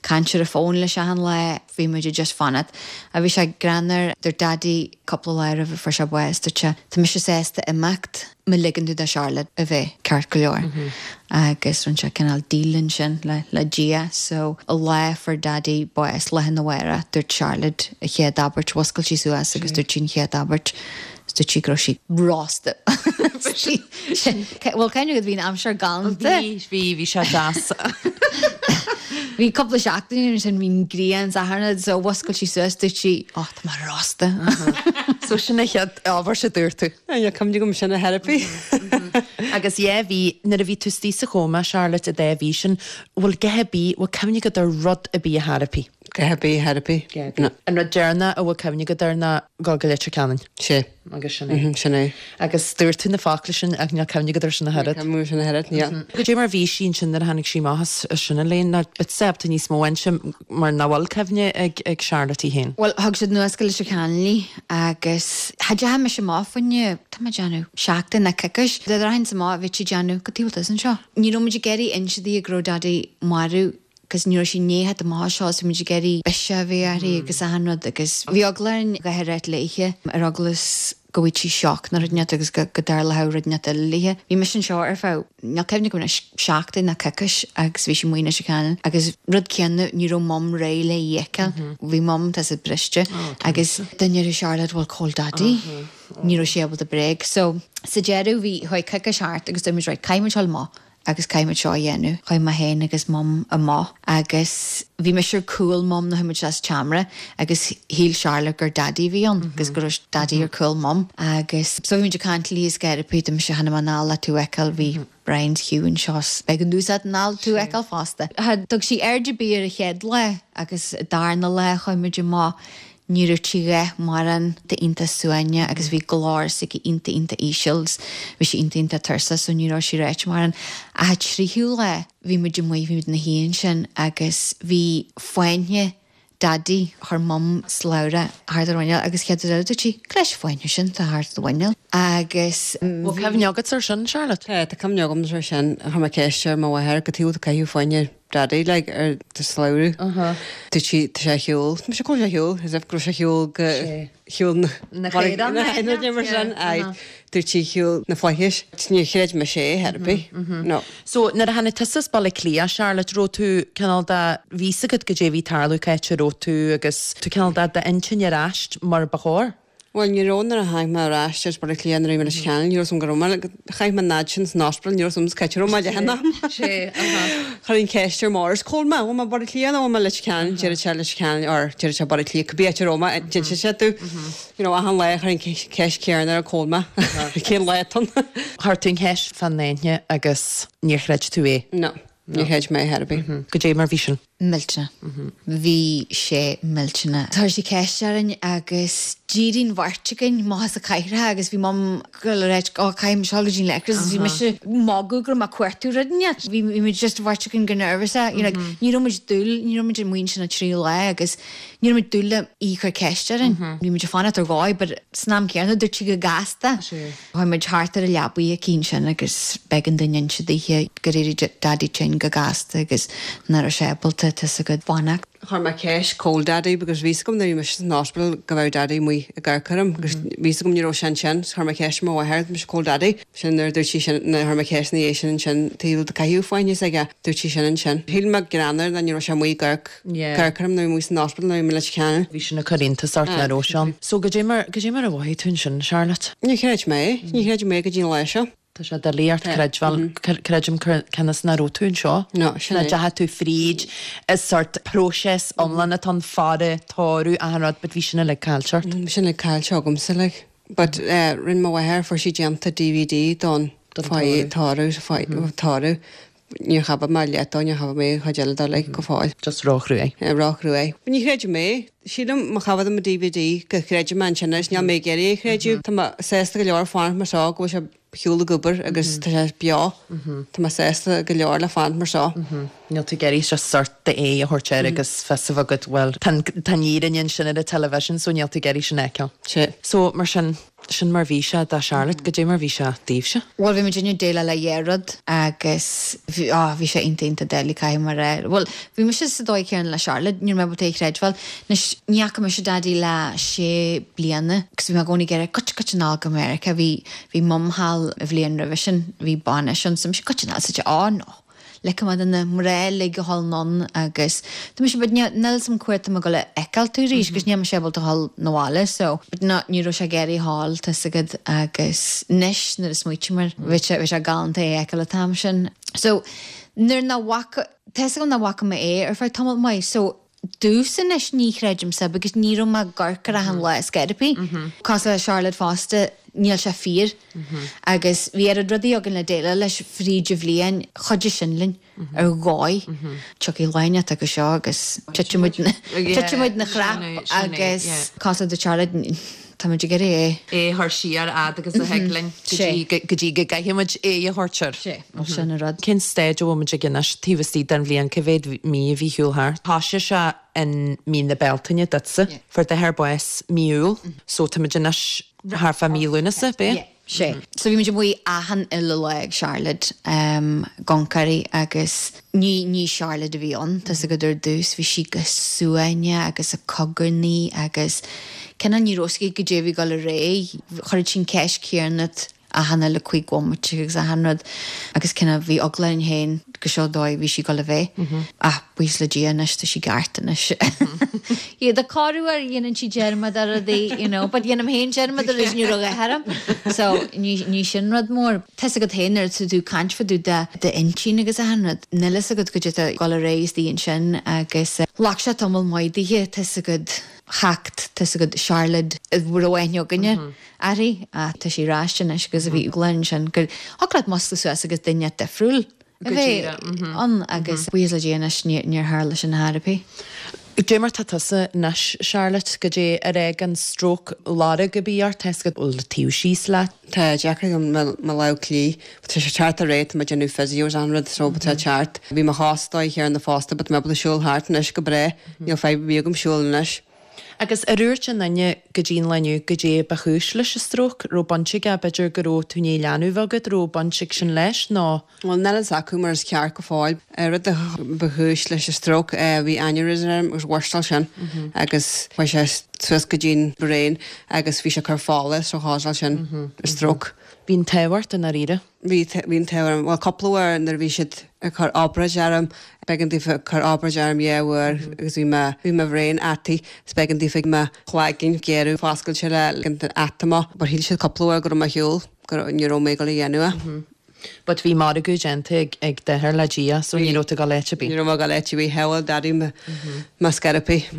caint ar an bhfón leis achan lá bhí muid just fanacht. A bhí sé greannmhar dúirt Daddy cúpla lá roimh a fuair sé bás dúirt sé tá mise sásta imeacht má ligeann tú do Charlotte a bheith ceart go leor. Agus rinne sé cineál deal ansin le le Dia so an lá a fuair Daddy bás lá arna mhárach dúirt Charlotte a chéad abairt mhuscail sí suas agus dúirt sí an chéad abairt dúirt sí go raibh sí rósta. Well kind of bhí an aimsir galánta. Bhí bhí bhí sé deas. Bhí cúpla seachtain sin bhí grian saharna so mhuscail sí suas dúirt sí ó tá mé rósta. So sin an chéad abairt a dúirt tú. Tá cuimhne agam sin a therapy. Agus é bhí nuair a bhí tú istigh sa chóma Charlotte a dé bhí sin bhfuil go bí bhfuil cuimhne agat ar rud ar bith a therapy. Dhath ar bith, ar bith. No. An rud deireanach a bhfuil cuimhne agat air ná dul go Leitir Ceanainn. Sé. Agus sin é. Sin é. Agus dúirt tú na focla sin ach níl cuimhne agat air sin ach oiread. Cuimhne sin ach oiread, yeah. Goidé mar bhí sí ansin nuair a tháinig sí amach as sin Elaine, nó beidh tú níos mó inse mar nach bhfuil cuimhne ag ag Charlotte í féin. Bhuel, thug siad anuas go Leitir Ceanainn í agus cha dteachaigh mise amach fá choinne, tá mé ag déanamh, seachtain nó coicís. Dá rachainnse amach bheadh sí ag déanamh cad chuige a bhfuil tusa anseo. Ní raibh muid ag iarraidh inse di go raibh Daidí marbh cos ní raibh sí i ndiaidh theacht amach as seo so bhí muid ag iarraidh biseach a bheith uirthi agus achan rud agus bhí eagla orainn a dhath a ráit léithe ar eagla is go bhfaigheadh sí shock nó rud inteacht agus go go dtarlódh rud inteacht eile léithe. Bhí mise anseo ar feadh, níl cuimhne agam anois, seachtain nó coicís agus bhí sí amuigh i Leitir Ceanainn agus rud céanna ní raibh Mum réidh le í a fheiceáil. Bhí Mum tá siad briste agus dá ndéarfadh Charlotte bhuel cá bhfuil Daidí? Ní raibh sí ábalta bréag. So sa deireadh bhí chuaigh coicís thart agus dúirt muid right caithfidh muid dul amach. agus caithfidh muid seo a dhéanamh. Chuaigh mé féin agus Mum amach agus bhí mise ar cúl Mum nuair a chuaigh muid isteach sa tseomra agus shíl Charlotte gur Daidí a bhí ann agus go raibh Daidí ar cúl Mum agus so bhí muid ag caint léi is ag gáire dúirt mise chan fhuil mé in ann le tú a fheiceáil bhí Brian 's Hugh anseo 's beidh an úsáid in ann tú a fheiceáil fosta. Cha dtug sí aird ar bith ar an chéad lá agus darna lá chuaigh muid amach Ní raibh sí a dhath mórán iontach suaimhneach agus bhí glór s'aici iontach iontach íseal 's bhí sí iontach iontach tuirseach so ní raibh sí ráite mórán. Ach an tríú lá bhí muid amuigh, bhí muid ina shuí ansin agus bhí fáinne Daidí, chuir Mum slabhra thart ar a mhuineál agus chéad rud eile dúirt sí, Cad leis an fáinne sin atá thart ar do mhuineál? Agus Bhfuil cuimhne agat ar sin, Charlotte? Tá, tá cuimhne agam ar sin. Chuir mé ceist ar mo mháthair cad chuige a caitheadh fáinne Daidí like ar do shlabhra. Dúirt sí tá sé ar shiúl. Mise cá bhfuil sé ar shiúl? As if go raibh sé ar shiúl go shiúl na Na caorán na na mar sin. Aye. Dúirt sí shiúl na flaithis. Níor chreid mise é ar bith. No. So nuair a tháinig tusa as Baile Átha Cliath, Charlotte, raibh tú cineál de bhí fhios agat goidé a bhí ag tarlú cá háit a raibh tú agus tú cineál de d'intinn ar ais mar ba chóir? Bhuel, ní raibh nuair a tháinig mé ar ais as Baile Átha Cliath nuair a bhí mé i Leitir Ceanainn, ní raibh 's agam go raibh mé, chaith mé an fhad sin san ospidéal, ní raibh 's agam cá háit a raibh mé leath an am. Sé, aha. Chuir an cheist ar Maurice, cá bhfuil mé, bhfuil mé Baile Átha Cliath nó bhfuil mé Leitir Ceanainn, deir sé Leitir Ceanainn or deir sé Baile Átha Cliath, cibé áit a raibh mé, d'inis sé domh. You know, achan lá chuir an ceist chéanna air cá bhfuil mé, cén lá atá ann. Chuir tú an cheist fán fháinne agus níor chreid tú é? No, níor chreid mé ar bith. Goidé mar bhí sin? Millteanach. Bhí sé millteanach. Chuir sí ceist orainn agus d'éirigh an bheirt againn amach as an chathaoir agus bhí Mum ag goil a ráit ó caithfidh mise dul go dtí an leithreas agus bhí mise ag magadh go raibh mé ag cuartú rud inteacht. Bhí bhí muid just an bheirt againn go nervous you know, ní raibh muid dúil, ní raibh muid amuigh ansin an tríú lá agus ní raibh muid dúil le í a chur ceist orainn. Bhí muid ag fanacht ar dhóigh but san am céanna dúirt sí go gasta. Chuaigh muid thart ar an leabaidh aici ansin agus b'éigean dúinn inse dithe gur éirigh Daidí tinn go gasta agus nach raibh sé ábalta tá 's agat fanacht. Chuir mé ceist cá bhfuil Daidí because bhí 's agam nuair a bhí mise san ospidéal go raibh Daidí amuigh ag amharc orm agus bhí 's agam ní raibh sé ansin so chuir mé ceist ar mo mháthair mise cá bhfuil Daidí. Sin nuair a dúirt sí sin nuair a chuir mé ceist ina dhiaidh sin ansin taobh de caitheadh fáinne s'aige dúirt sí sin ansin. Shíl mé greannmhar ná ní raibh sé amuigh ag amharc amharc orm nuair a bhí mé san ospidéal nuair a bhí mé i Leitir Ceanainn. Bhí sin ag cur iontas ort nach raibh sé ann. So goidé mar goidé mar a mhothaigh tú ansin Charlotte? Níor chreid mé é. Ní chreidim é go dtí an lá seo. Tá sé doiligh ort creidbheáil, creidim cionn is nach raibh tú anseo. No, sin é. Nach ndeachaigh tú fríd an sort próiseas iomlán atá ann, faire, tórramh, achan rud, but bhí sin uilig caillte ort. Bhí sin uilig caillte agamsa, like. But eh, rinne mo mháthair, fuair sí déanta DVD don fáidh tórramh, fáidh tórramh. Níor chaith mé leath dó, níor chaith mé an chuid eile dó, like, go fóill. Just róchruaidh. Róchruaidh. Ní chreidim é. Sílim má chaithfead an DVD go gcreidfidh mé ansin anois, níl mé ag iarraidh é a chreideamh. Tá mé sásta go leor fanacht mar seo go bhfuil sé ar shiúl ag obair agus tá sé beo. Tá mé sásta go leor le fanacht mar seo. Níl tú ag iarraidh just sort d'aghaidh a thabhairt air agus fios a bheith agat, bhuel, tá an fhírinne ansin ar an television so níl tú ag iarraidh sin a fheiceáil. Sea. So, mar sin, Sin mar bhí sé do Charlotte, goidé mar bhí sé daoibhse? Bhuel, bhí muid ag déileáil le dhá rud agus bhí, á, bhí sé iontach, iontach doiligh, caithfidh mé a rá. Bhuel, bhí mise sa dóigh chéanna le Charlotte, ní raibh mé ábalta é a chreidbheáil. Anois, ní fhaca mise Daidí le sé bliana agus bhí mé i gcónaí ag iarraidh goitse, goitse anall go Meiriceá. Bhí, bhí Mum thall an bhliain roimhe sin, bhí bainis ann, so mise goitse anall, sa, á, no. Ligfidh mé do na mná uilig a dhul anonn agus tá mise but níl 'fhios a'm cá huair atá mé ag dul a fheiceáil tú arís agus níl mise ábalta a dhul 'na bhaile so but no ní raibh sé ag iarraidh a dhul tá 'fhios agat agus anois nuair a smaoitím air bhí sé bhí sé galánta é a fheiceáil an t-am sin. So nuair nach bhfaca tá 'fhios agam nach bhfaca mé é ar feadh tamall maith so Domhsa anois ní chreidimse because ní raibh mé ag amharc air achan lá ar scor ar bith. Cosúil le Charlotte fosta, níl sé fíor. Agus bhí oiread rudaí againn le déileáil leis fríd an bhliain, chuidigh sin linn ar dhóigh. Tiocfaidh lá inteacht acu seo agus titfidh muid ina chrap agus cosúil le Charlotte, tá muid ag iarraidh é. É a chur siar fhad agus a thig linn go dtí go gcaithfidh muid é a thabhairt air. Sé, sin an rud. Cén staid a bhfuil muid ag anois taobh istigh den bhliain, cá mhéad mí a bhí ar shiúl thart? Thosaigh sé in mí na Bealtaine duitse, fuair d'athair bás mí Iúil, so tá muid anois thart fá mí Lúnasa, b'é? Sé. So bhí muid amuigh achan uile lá ag Charlotte ag amharc uirthi agus ní ní Charlotte a bhí ann, tá's agat ar dtús, bhí sí go suaimhneach agus ag cogarnaigh agus cineál ní raibh a fhios aici goidé a bhí ag dul ar aghaidh, chuireadh sí an ceist chéanna achan uile cúig bhomaite agus achan rud agus cineál bhí eagla orainn féin go seo dóigh a bhí sí ag dul a bheith. Ach buíochas le Dia anois tá sí ceart anois. Yeah, corruair dhéanann sí dearmad ar rudaí, you know, but dhéanaim féin dearmad ar rudaí ní raibh a dhath orm. So ní ní sin rud mór. Tá's agat féin nuair atá tú ag caint fá dtaobh de d'intinn agus achan rud, níl fhios agat goidé atá ag dul ar aghaidh istigh ansin agus ghlac sé tamall maith dithe, tá's agat theacht, tá's agat Charlotte a raibh aithne againne uirthi, ach tá sí ar ais anois agus a bhí eagla ansin gur thig leat muscladh suas agus duine difriúil a bheith ann agus buíochas le Dia anois níor tharla sin ar chor ar bith. Goidé mar tá tusa anois Charlotte, goidé ar fhág an stróc lorg ar bith ort, tá's agat bhfuil taobh síos leat? Tá deacair agam mo lámh chlí, but tá sé ceart ar aghaidh, tá mé ag déanamh physios an rud so tá ceart. Bhí mo chos dóigh chéanna fosta but tá mé ábalta siúl thart anois go breá, níl fadhb ar bith agam siúl anois. Agus ar dhúirt aon duine go dtí an lá inniu goidé ba chúis leis an stróc, raibh baint aige, b'fhéidir go raibh tú i ndiaidh leanbh a bheith agat, raibh baint ag sin leis nó? Bhuel, níl fhios acu mar is ceart go fóill. Rud a ba chúis leis an stróc, bhí aneurysm orm agus bhurstáil sin agus chuaigh sé suas go dtí'n brain agus bhí sé ag cur fola so chásáil sin stróc. Bhí an t-ádh ort i ndáiríre. Bhí, bhí an t-ádh orm, bhuel cúpla uair nuair a bhí siad ag cur obráid orm, b'éigean daofa cur obráid orm dhá uair agus bhí mo, bhí mo bhrain ataithe is b'éigean daofa mo chloigeann gearradh foscailte le ligean don fhata amach but shíl siad cúpla uair go raibh mé ar shiúl, go raibh, ní raibh mé ag dul a dhéanamh é. But bhí margadh déanta ag, ag d'athair le Dia so ní raibh tú ag dul áit ar bith. Ní raibh mé ag dul áit ar bith, shábháil Daddy mo, mo scor ar bith.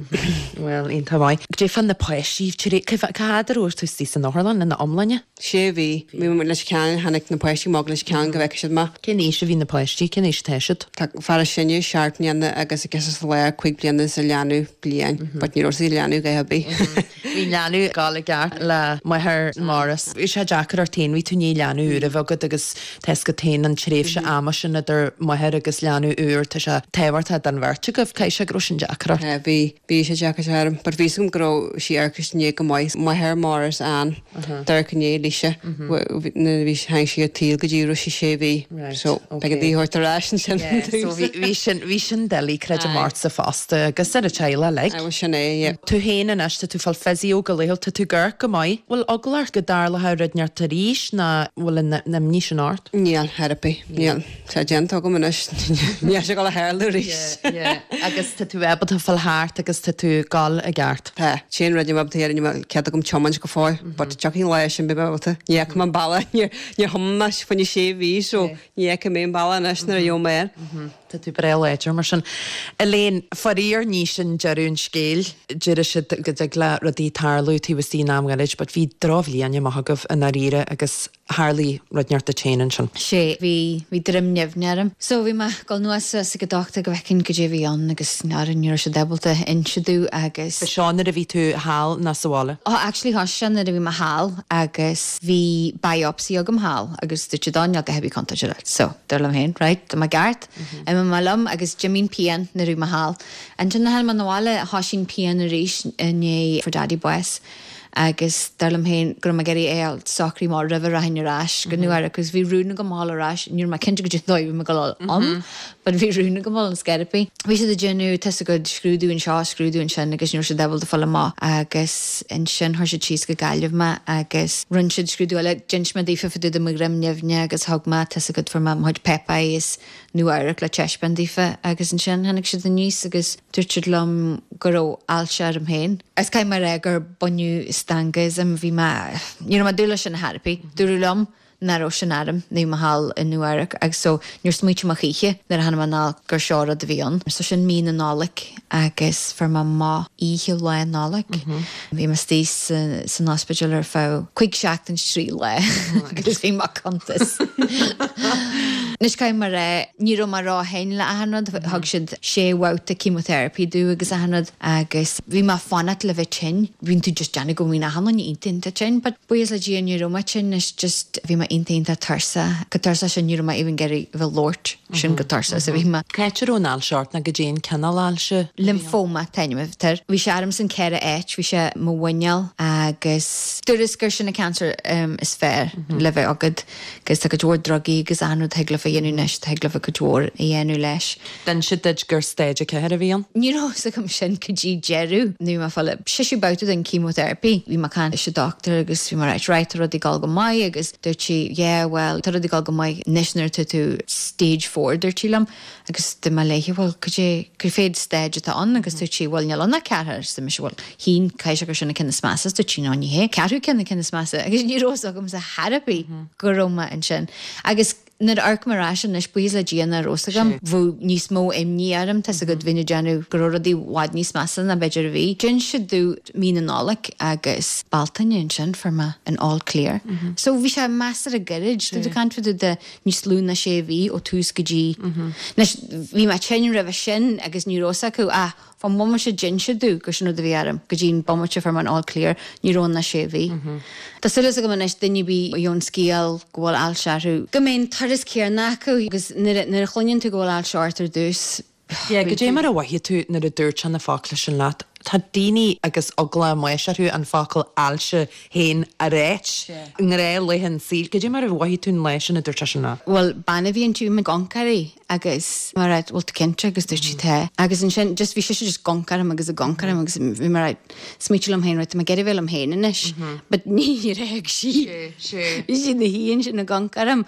Bhuel, iontach maith. Goidé fá na páistí, cá fhad a raibh tú istigh san otharlann ina iomláine? Sé mhí. Bhí mé Leitir Ceanainn, tháinig na páistí amach go Leitir Ceanainn go bhfeicfeadh siad mé. Cén aois a bhí na páistí? Cén aois atá siad? Tá fear is sine seacht mbliana agus an girseach sa lár cúig bliana is an leanbh bliain, but ní raibh sí leanbh a dhath ar bith. Bhí an leanbh ag gabháil i gceart le máthair Maurice. Bhí sé deacair ort féin, bhí tú i ndiaidh leanbh úr a bheith agat agus tá's agat féin an tréimhse ama sin idir máthair agus leanbh úr, tá sé tábhachtach don bheirt agaibh, caithfidh sé go raibh sin deacair ort. Bhí, bhí sé deacair orm, but bhí 'fhios agam go raibh sí amharc i ndiaidh go maith, máthair Maurice Ann, d'amharc i ndiaidh Lisa, nuair a bhí, tháinig sí ar an tsaol go dtí raibh sí sé mhí, so b'éigean di a thabhairt ar ais ansin. So bhí, bhí sin, bhí sin doiligh, creidim ortsa fosta agus ar an teaghlach uilig. Bhuel sin é, yeah. Tú féin anois, tá tú ag fáil physio go laethúil, tá tú ag amharc go maith. Bhfuil eagla ort go dtarlódh rud inteacht arís ná bhfuil an imní sin ort? Níl, ar bith, níl. Tá déanta agam anois, níl sé ag dul a tharlú arís. Yeah, yeah. Agus tá tú ábalta fáil thart agus tá tú ag gabháil i gceart. Tá. Sin rud níl mé ábalta a dhéanamh, níl cead agam tiomáint go fóill, but tiocfaidh an lá sin beidh mé ábalta. Ní fhaca mé an bealach, níor níor thiomáin mé fá choinne sé mhí so ní fheicfidh mé an bealach anois nuair a gheobhaidh mé air. Tá tú breá láidir mar sin. Elaine, faraor ní sin deireadh an scéil. Deir siad go dtig le rudaí tarlú taobh istigh in am ghairid, but bhí drochbhliain amach agaibh i ndáiríre agus tharlaigh rud inteacht duit féin ansin. Sé, bhí, bhí droim nimhne orm. So bhí mé ag dul anuas suas ag an dochtúir go bhfeicfinn goidé a bhí ann agus n'fheadar, ní raibh siad ábalta inse domh agus. Ba seo nuair a bhí tú thall nó sa bhaile? Oh actually thosaigh sé nuair a bhí mé thall agus bhí biopsy agam thall agus dúirt siad oh níl a dhath ar bith contúirteach leat. So dar liom féin, right, tá mé ceart, imigh mé liom agus d'imigh an pian nuair a bhí mé thall. Ansin nuair a tháinig mé 'na bhaile thosaigh an pian arís i ndiaidh fuair Daddy bás. Agus dar liom féin go raibh mé ag iarraidh é a fháil socraithe amach roimh a rachainn ar ais go Nua Eabhrac agus bhí rún agam a dhul ar ais, ní raibh mé cinnte goidé an dóigh a bhí mé ag dul ann but bhí rún agam a dhul ar scor ar bith. Bhí siad ag déanamh tá's agat scrúdú anseo, scrúdú ansin agus ní raibh siad ábalta fáil amach agus ansin chuir siad síos go Gaillimh mé agus rinne siad scrúdú eile, d'inis mé daofa fá dtaobh de mo dhroim nimhne agus thug mé tá's agat fuair mé mo chuid páipéir as Nua Eabhrac le taispeáint daofa agus ansin tháinig siad aníos agus dúirt siad liom go raibh ailse orm féin. Is caithfidh mé a rá gur baineadh stangadh asam, bhí mé, ní raibh mé ag dúil leis sin ar chor ar bith. Dúradh liom nach raibh sin orm nuair a bhí mé thall i Nua Eabhrac agus so níor smaoitigh mé choíche nuair a tháinig mé anall gur seo rud a bhí ann. So sin mí na Nollag agus fuair mé amach oíche Lá Nollag. Bhí mé istigh san ospidéal ar feadh cúig seachtain is trí lá agus bhí mé cuntas. Anois caithfidh mé a rá ní raibh mé ró-thinn le achan rud, thug siad sé bhabhta chemotherapy domh agus achan rud agus bhí mé fanacht le bheith tinn. Bíonn tú just déanamh go mbíonn achan duine iontach iontach tinn, but buíochas le Dia ní raibh mé tinn is just bhí mé iontach iontach tuirseach. Chomh tuirseach sin ní raibh mé even ag iarraidh a bheith ag labhairt sin chomh tuirseach is a bhí mé. Cá háit a raibh an ailse ort nó goidé an cineál ailse? Lymphoma an t-ainm air. Bhí sé orm san ceithre áit, bhí sé mo mhuineál agus dúradh gur sin an cancer um, is fearr le bheith agat agus tá cuid mhór drugaí agus achan rud thig leofa a dhéanamh anois, thig leofa cuid mhór a dhéanamh leis. D'inis siad duit gur stage a ceathair a bhí ann? Ní raibh fhios agam sin go dtí deireadh nuair a bhí mé ag fáil séú babhta den chemotherapy. Bhí mé ag caint leis an doctor agus bhí mé right, right, tá rudaí ag dul go maith agus dúirt sí, yeah, well, tá rudaí ag dul go maith anois nuair atá tú stage four dúirt sí liom agus dúirt mé léi well cad é cad fé stage atá ann agus dúirt sí well níl ann ach ceathair so mise well shín caithfidh sé gur sin an ceann is measa dúirt sí no ní hé ceathrú ceann an ceann is measa agus ní raibh fhios agamsa ar bith go raibh mé ansin agus nuair a amharc mé ar ais anois buíochas le Dia nach raibh fhios agam bheadh níos mó imní orm tá go bhfinn déanamh go raibh rudaí i bhfad níos measa ná b'fhéidir a bhí. D'inis siad domh mí na Nollag agus Bealtaine ansin fuair mé an all clear. So bhí sé measartha gairid tú ag caint fá de níos lú ná sé mhí ó tús go dtí. Anois bhí mé tinn roimhe sin agus ní raibh fhios acu ach fán bhomaite a d'inis siad domh gur sin rud a bhí orm go dtí an bomaite a fuair mé an all clear ní raibh ann ach sé mhí. Tá súil agam anois duine ar bith a gheobhann scéal go bhfuil ailse orthu go mbeidh an turas céanna acu agus nuair a chluineann tú go bhfuil ailse ort ar dtús. Yeah, goidé mar a mhothaigh tú nuair a dúirt sé na focla sin leat. Tá daoine agus eagla amuigh orthu an focal ailse féin a ráit. Gnáthlaethe an saoil, goidé mar a mhothaigh tú an lá sin a dúirt sé sin leat. Well bean a bhí inti ag amharc uirthi agus mar bhfuil tú cinnte agus dúirt sí tá. Agus ansin just bhí sise just ag amharc orm agus ag amharc orm agus bhí mar smaoitiú liom féin right, tá mé ag iarraidh bheith liom féin anois, but ní raibh sí. Bhí sí na híon sin ag amharc orm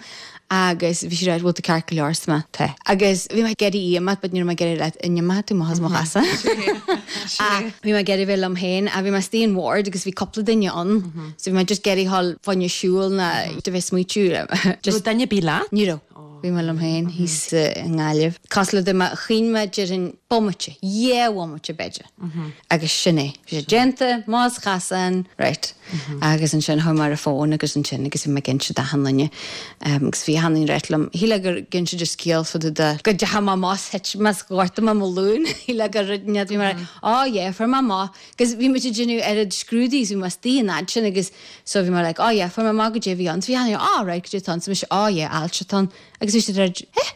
agus bhí sí right, bhfuil tú ceart go leor sa tá. Agus bhí mé ag iarraidh imeacht, but ní raibh mé ag iarraidh leat imeacht tú mo chasa. Bhí mé ag iarraidh bheith liom féin a bhí mé istigh in ward agus bhí cúpla duine ann. So bhí mé just ag iarraidh dhul fá choinne siúl ná de bheith smaoitiú. Just duine ar bith leat? Ní raibh. Bhí mé liom féin thíos i nGaillimh. Cosúil le mé chinn mé déarfainn bomaite, dhá bhomaite b'fhéidir. Agus sin é. Bhí sé déanta, más chasan, right. Agus ansin chuaigh mé ar an bhfón agus ansin agus bhí mé ag inse d'achan duine. Agus bhí achan duine ag ráit liom, shíl gur gin siad scéal fá de go dteacha mé más thit más ghortaigh mé mo ghlúin, shíl gur rud ní bhí mé oh yeah, fuair mé amach. Agus bhí muid ag déanamh oiread scrúdaí, bhí mé istigh an fhad sin agus so bhí mé like, oh yeah, fuair mé amach goidé a bhí ann. So bhí achan duine, oh right, goidé atá ann. So mise, oh yeah, ailse atá ann. Agus bhí siad ar eh?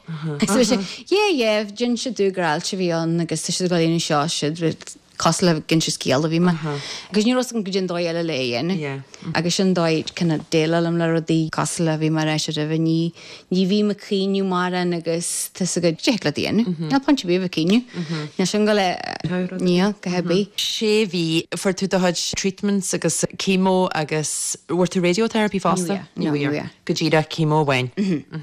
Agus bhí sé, yeah, yeah, d'inis siad domh gur ailse a bhí ann agus tá siad ag dul a dhéanamh seo, siad cosúil le gin siad scéal a bhí mé. Agus ní raibh go dtí an dóigh eile le é dhéanamh. Agus sin dóigh kind of déileáil le rudaí cosúil le bhí mé ar ais roimhe ní ní bhí mé ag caoineadh mórán agus tá go dtig le déanamh. Níl point ar bith a bheith ag caoineadh. Níl sin go le níl go hebí. Sé mhí fuair tú do chuid treatments agus chemo agus bhfuair tú radiotherapy fosta? No, no, Go díreach chemo amháin.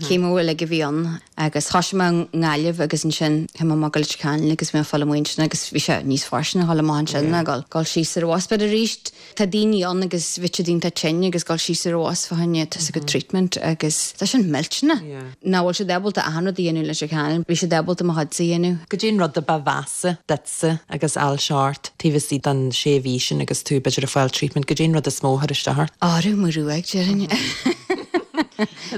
Chemo uilig a bhí ann agus thosaigh mé i nGaillimh agus ansin chuaigh mé amach go Leitir Ceanainn agus bhí mé ag fáil amuigh ansin agus bhí sé níos fairsine a dhul amach ansin ná dul dul síos ar an bhus but arís tá daoine ann agus bhí siad iontach tinn agus dul síos ar an bhus fá choinne tá go treatment agus tá sin millteanach. Nach bhfuil siad ábalta achan rud a dhéanamh Leitir Ceanainn, bhí siad ábalta mo chuidse a dhéanamh. Goidé an rud a ba mheasa duitse agus ailse ort taobh istigh den sé mhí sin agus tú b'fhéidir ag fáil treatment, goidé an rud is mó a chuir isteach ort. Árú mo ruaig déarfainn.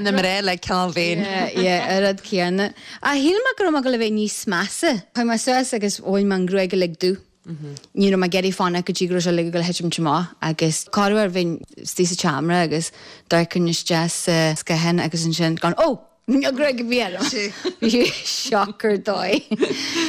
Na mé le ceann féin. Yeah, an rud céanna. A shíl mé go raibh mé ag dul a bheith níos measa. Chuaigh mé suas agus bhain mé an ghruaig uilig dubh. Ní raibh mé ag iarraidh fanacht go dtí go raibh sé uilig ag dul a thitim amach agus corruair bhínn istigh sa tseomra agus d'amharcainn isteach sa scáthán agus ansin gan ó Níl gruaig ar bith orm. Bhí shock ar dóigh.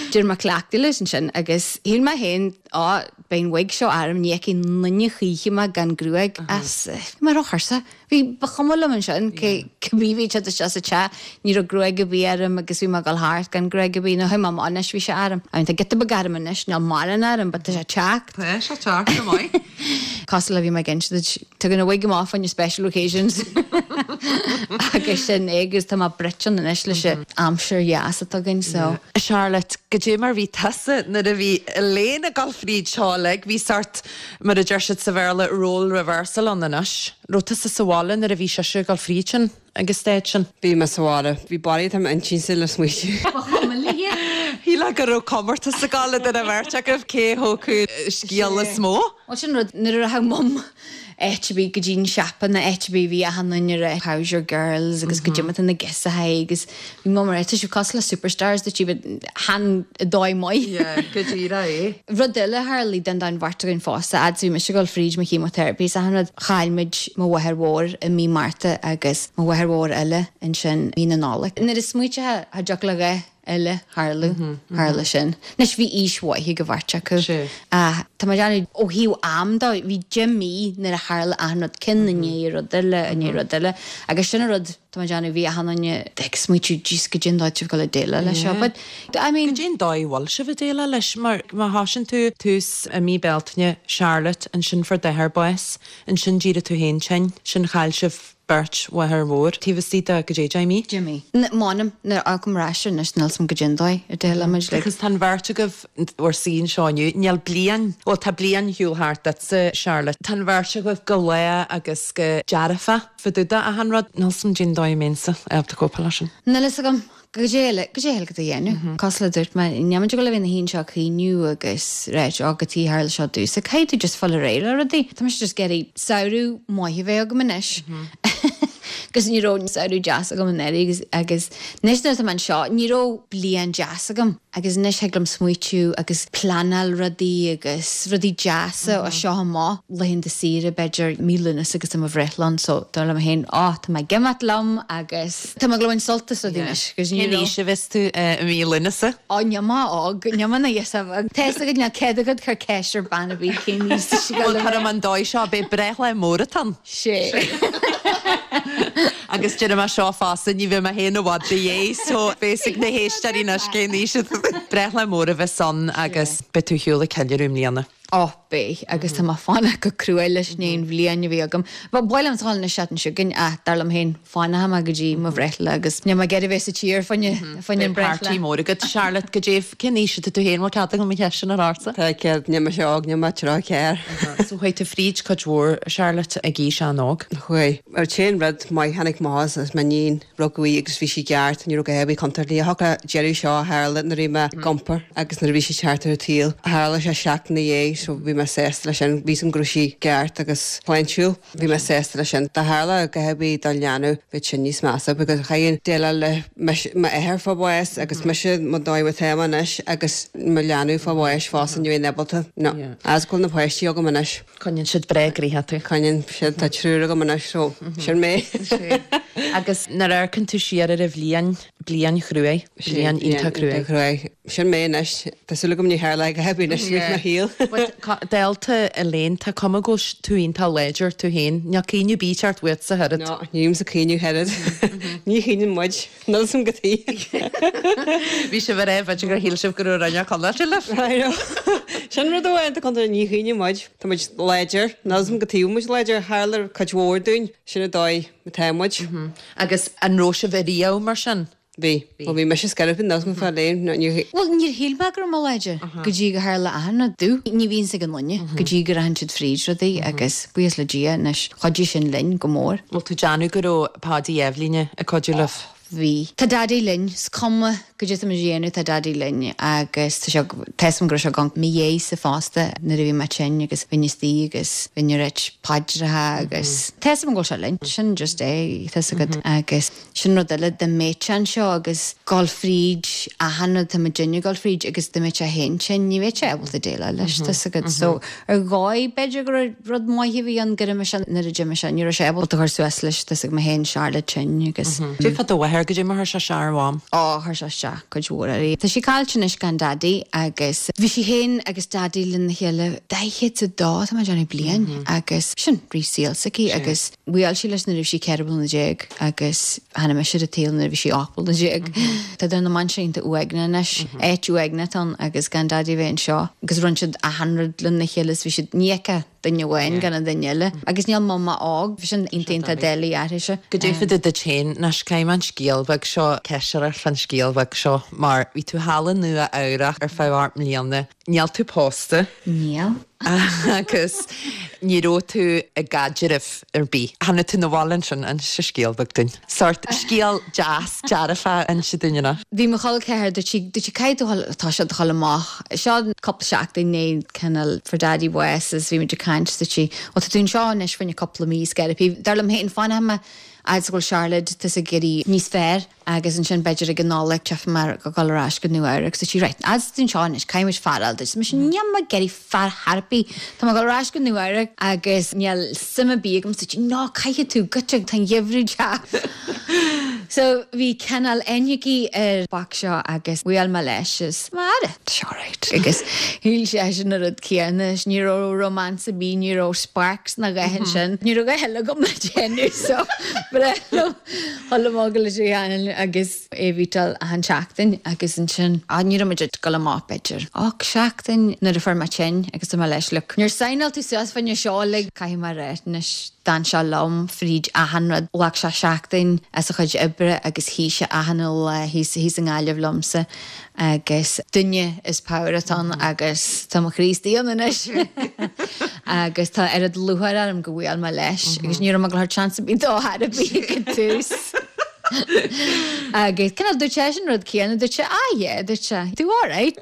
D'éirigh mé cleachtadh leis ansin agus shíl mé féin á beidh an wig seo orm ní fheicfidh aon duine choíche mé gan gruaig as bhí mé róthuirseach. Bhí ba chuma liom ansin cé cibé bhí siad isteach sa teach ní raibh gruaig ar bith orm agus bhí mé ag dul thart gan gruaig ar bith nó chuaigh mé amach anois bhí sé orm. I mean tá giota beag orm anois níl mórán orm but tá sé teacht. Tá sé teacht go maith. Cosúil le bhí mé ag inse duit tugann a wig amach on your special occasions. agus sin é agus tá mé bruite anois leis an aimsir dheas atá againn so. Charlotte, goidé mar bhí tusa nuair a bhí Elaine ag dul fríd seo uilig, bhí sort mar a deir siad sa Bhéarla role reversal ann anois. Raibh tusa sa bhaile nuair a bhí sise ag dul fríd sin ag an stage sin? Bhí mé sa bhaile. Bhí bailí tá m'intinnse le smaoitiú. Ba chuma léi. Shílfeá go raibh comórtas ag dul idir an bheirt agaibh cé thógfadh scéal is mó. Bhuel sin rud, nuair a rachadh Mum áit ar bith go dtí an siopa nó áit ar bith bhí achan duine ag rá how's your girls agus goidé mar tá na girseachaí agus bhí Mum ag rá tá sibh cosúil le superstars dúirt sí but chan i dóigh maith. Yeah, go díreach é. Rud eile a tharlaigh don don bheirt againn fosta, fhad is a bhí mise ag dul fríd mo chemotherapy is achan rud, chaill muid mo mháthair mhór i mí Márta agus mo mháthair mhór eile ansin mí na Nollag. Nuair a smaoiteofá cha dtiocfadh le dhá eile tharlú, tharla sin. Anois bhí aois mhaith ag an bheirt acu. Ach tá mé ag déanamh, ó thaobh am de, bhí deich mí nuair a tharla achan rud, ceann i ndiaidh rud eile, i ndiaidh rud eile. Agus sin an rud, tá mé ag déanamh, bhí achan duine ag smaoitiú, jeez, goidé an dóigh sibh ag dul ag déileáil leis seo. But, I mean. Goidé an dóigh a bhfuil sibh ag déileáil leis? Mar má thosaíonn tú tús i mí Bealtaine, Charlotte, ansin fuair d'athair bás, ansin d'éirigh tú féin tinn, ansin chaill sibh beirt mháthair mhór taobh istigh de goidé deich mí. Deich mí. M'anam, nuair a amharcaim ar ais air anois, níl 's a'm goidé an dóigh ar déileáil muid like. Agus tá an bheirt agaibh bhur suí anseo inniu, níl bliain, bhuel tá bliain ar shiúl thart duitse Charlotte, tá an bheirt agaibh go lách agus go dearfa fá dtaobh de achan rud, níl 's a'm goidé an dóigh a mbeinnse ábalta cóipeáil leis sin. Níl 'fhios agam. Goidé eile, goidé eile go dhéanamh. Cosúil le dúirt mé, níl muid ag dul a bheith ina shuí anseo ag caoineadh agus ráit, ó cad chuige tharla seo domhsa. Caithfidh tú just fáil ar aghaidh le rudaí. Tá mise just ag iarraidh samhradh maith a bheith agam anois. Agus ní raibh samhradh deas agam anuraidh agus agus anois nuair atá mé anseo, ní raibh bliain deas agam. Agus anois thig liom smaoitiú agus pleanáil rudaí agus rudaí deasa ó seo amach. Laethanta saoire b'fhéidir, mí Lúnasa agus tá mo bhreithlá ann so dar liom féin, á tá mé ag imeacht liom agus tá mé ag dul a bhaint sult as rudaí anois agus ní Cén raibh. aois a bheas tú i mí Lúnasa? Á níl mé óg, níl mé ina ghirseach bheag. Tá 'fhios agat níl cead agat cur ceist ar bean ar bith cén aois tá sí ag Bhuel dul a cuirim bheith. an dóigh seo, beidh breithlá mór atá ann. Sé. Agus déarfaidh mé seo fosta, ní bheidh mé féin i bhfad do dhéidh, so beidh 'fhios ag na héisteoirí anois cén aois atá tú. Breithlá mór a bheas ann agus beidh tú ar shiúl ag ceiliúradh i mbliana. Ó, beidh, agus tá mé ag fanacht go cruaidh leis i ndiaidh an bhliain a bhí agam. Ba mhaith liom dul an seachtain seo chugainn ach dar liom féin, fanfaidh mé go dtí mo bhreithlá agus níl mé ag iarraidh bheith sa tír fá choinne fá choinne an Beidh breithlá. party mór agat. Charlotte, goidé, cén aois atá tú féin, bhfuil cead agam an cheist sin a chur ortsa? Tá cead, níl mise óg, níl mé tríocha ceathair. So chuaigh tú fríd cuid mhór, Charlotte, ag aois an-óg. Chuaigh. An t-aon rud maith tháinig amach as is m'iníon, rugadh í agus bhí sí ceart, ní raibh a dhath ar bith contúirteach léi. Thiocfadh deireadh seo a tharla nuair a bhí mé ag iompar agus nuair a bhí sí ag teacht ar an tsaol. Tharla sé seachtain ina dhiaidh so bhí mé sásta leis sin. Bhí 'fhios agam go raibh sí ceart agus sláintiúil. Bhí mé sásta leis sin. Dá tharla a dhath ar bith dá leanbh bheadh sin níos measa because chaithfinn déileáil le m'athair fá bhás agus mise mo dóigh atá mé anois agus mo leanbh fá bháis fosta ní bheinn ábalta. No. As go bhfuil na páistí agam anois. Coinníonn siad breá gnoitheach tú. Coinníonn siad, tá triúr agam anois so sin mé. Agus nuair a amharcann tú siar ar an bhliain, bliain chruaidh, bliain iontach cruaidh. cruaidh. Sin mé anois. Tá súil agam ní tharlóidh a dhath ar bith anois i mo shaol. But dála Elaine, tá cuma go bhfuil tú iontach láidir tú féin. Níl caoineadh ar bith ag teacht uait ach oiread. No, nílimse ag caoineadh ach oiread. Ní chaoineann muid. Níl 'fhios agam cad chuige. Bhí sibh ar b'fhéidir gur shíl sibh go raibh Roinn Chonnacht libh. I know. Sin rud amháin atá contúirteach, ní chaoineann muid. Tá muid láidir. Níl 'fhios agam cad chuige muid láidir. Tharla cuid mhór dúinn. Sin an dóigh atá muid. Agus an raibh sibh ariamh mar sin? Bhí. Bhuel, bhí mise scairpin, níl 'fhios agam fá Elaine. No, ní. Bhuel, níor shíl mé go raibh mé láidir go dtí go tharla achan rud domh. Ní bhíonn 'fhios ag an duine go dtí go rachann siad fríd rudaí agus buíochas le Dia anois, chuidigh sin linn go mór. Bhfuil tú ag déanamh go raibh Páidí Eibhlíne ag cuidiú libh? Bhí. Tá Daidí linn. Is cuma goidé tá muid a dhéanamh, tá Daidí linn agus tá sé, tá 'fhios agam go raibh sé ag amharc i mo dhiaidhse fosta nuair a bhí mé tinn agus bhínn istigh agus bhínn ag ráit paidreacha agus tá 'fhios agam go bhfuil sé linn. Sin just é, tá 'fhios agat. Agus sin rud eile, dá mbeadh sé anseo agus dul fríd achan rud tá muidinne ag dul fríd agus dá mbeadh sé féin tinn, ní bheadh sé ábalta déileáil leis, tá 'fhios agat. So ar dhóigh b'fhéidir go raibh rud maith a bhí ann gur imigh sé nuair a d'imigh sé, ní raibh sé ábalta cur suas leis, tá 'fhios ag mé féin, Charlotte tinn agus. Cad é fá do mháthair, goidé mar chuir sé isteach ar Mham? Ó, chuir sé isteach cuid mhór uirthi. Tá sí caillte anois gan Daidí agus bhí sí féin agus Daidí lena chéile daichead a dó, tá mé ag déanamh bliain, agus sin rith saol s'aici agus bhuail sí leis nuair a bhí sí ceithre bliana déag agus tháinig mise ar an tsaol nuair a bhí sí ocht mbliana déag. Tá na mainsí iontach uaigneach anois, áit uaigneach atá ann agus gan Daidí a bheith anseo agus rinne siad achan rud lena chéile is bhí siad, ní fheicfeá duine amháin gan an duine eile. Agus níl Mama óg, bhí sin iontach iontach doiligh uirthise. Goidé fá dtaobh duit féin, anois caithfidh mé an scéal beag seo, ceist fan scéal bheag seo mar bhí tú thall i Nua Eabhrac ar feadh ocht mbliana. Níl tú pósta. Níl. Agus ní raibh tú i gcaidreamh ar bith. Tháinig tú 'na bhaile ansin inis scéal beag dúinn. Sórt scéal deas dearfa inse dúinn ina. Bhí mo chol ceathar dúirt sí dúirt sí caithfidh tú dhul tá sé dhul amach. Seo cúpla seachtain i ndiaidh cineál fuair Daddy bás is bhí muid ag caint dúirt sí Ó tá tú anseo anois fá choinne cúpla mí is gearrfaidh. Dar liom féin fanfaidh mé fhad is go bhfuil Charlotte tá ag éirí níos fearr agus ansin b'fhéidir ag an Nollaig tchífidh mé go dul ar ais go Nua Eabhrac so sí right as tú anseo anois caithfidh muid fear a fháil duit. Mise níl mé ag iarraidh fear ar bith. Tá mé ag dul ar ais go Nua Eabhrac agus níl suim ar bith agam so sí no caithfidh tú goitse tá an geimhreadh deas. So bhí cineál aithne aici ar boc seo agus bhuail mé leis is mar seo right agus shíl seisean an rud céanna ní raibh romance ar bith ní raibh sparks ná a dhath ansin. Ní raibh a dhath eile agam le déanamh so ba bhreá liom dhul amach leis agus é a mheetáil achan seachtain agus ansin á ní raibh muid ag dul amach b'fhéidir ocht seachtain nuair a fuair mé tinn agus dúirt mé leis look níor signáil tú suas fá choinne seo like caithfidh mé a rá anois d'fhan sé liom fríd achan rud ghlac sé seachtain as a chuid oibre agus shuigh sé achan lá thíos thíos i nGaillimh liomsa agus duine is power atá ann agus tá mo chroí istigh ann anois agus tá oiread lúcháir orm go bhfuil mé leis agus ní raibh mé ag dul chance ar bith dó ar bith ag an tús. Agus cineál dúirt seisean rud céanna dúirt sé ah yeah dúirt sé tú alright.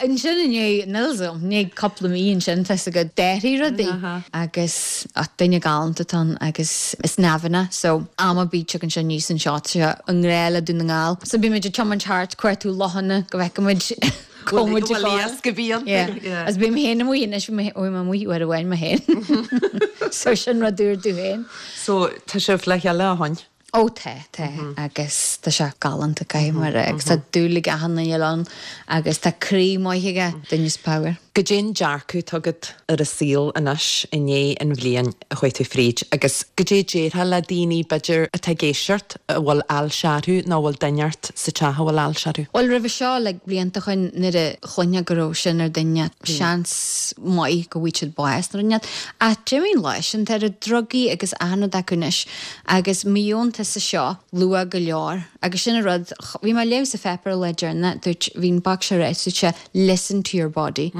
Ansin i ndiaidh níl 's agam i ndiaidh cúpla mí ansin tá go d'athraigh rudaí agus ach duine galánta atá ann agus is neamhna so am ar bith tugann sé níos anseo sé i ngrá le Dún na nGall. So bímid ag tiomáint thart cuartú lochanna go bhfeicfimid cá bhfuil muid ag Bhfuil iasc a bhíonn. Yeah. Agus bím féin amuigh anois bhí mé amuigh uair amháin mé féin. So sin rud úr domh féin. So tá sibh le chéile ó shin? Ó tá tá agus tá sé galánta caithfidh mé a rá agus tá dúil ag achan duine ann agus tá croí maith aige duine is power. Goidé an dearcadh atá agat ar an saol anois i ndiaidh an bhliain a chuaigh tú fríd agus goidé déarfá le daoine b'fhéidir atá ag éisteacht a bhfuil ailse orthu nó a bhfuil duine ort sa teach a bhfuil ailse orthu. Bhuel roimhe seo le blianta ó shin nuair a chluinfeá go raibh sin ar duine seans maith go bhfaighidh siad bás nó rud ach d'imigh an lá sin tá na drugaí agus achan rud acu anois agus má gheobhann tusa seo luath go leor agus sin an rud bhí mé ag léamh sa pháipéar le deireanas dúirt bhí an boc seo ráite dúirt sé listen to your body.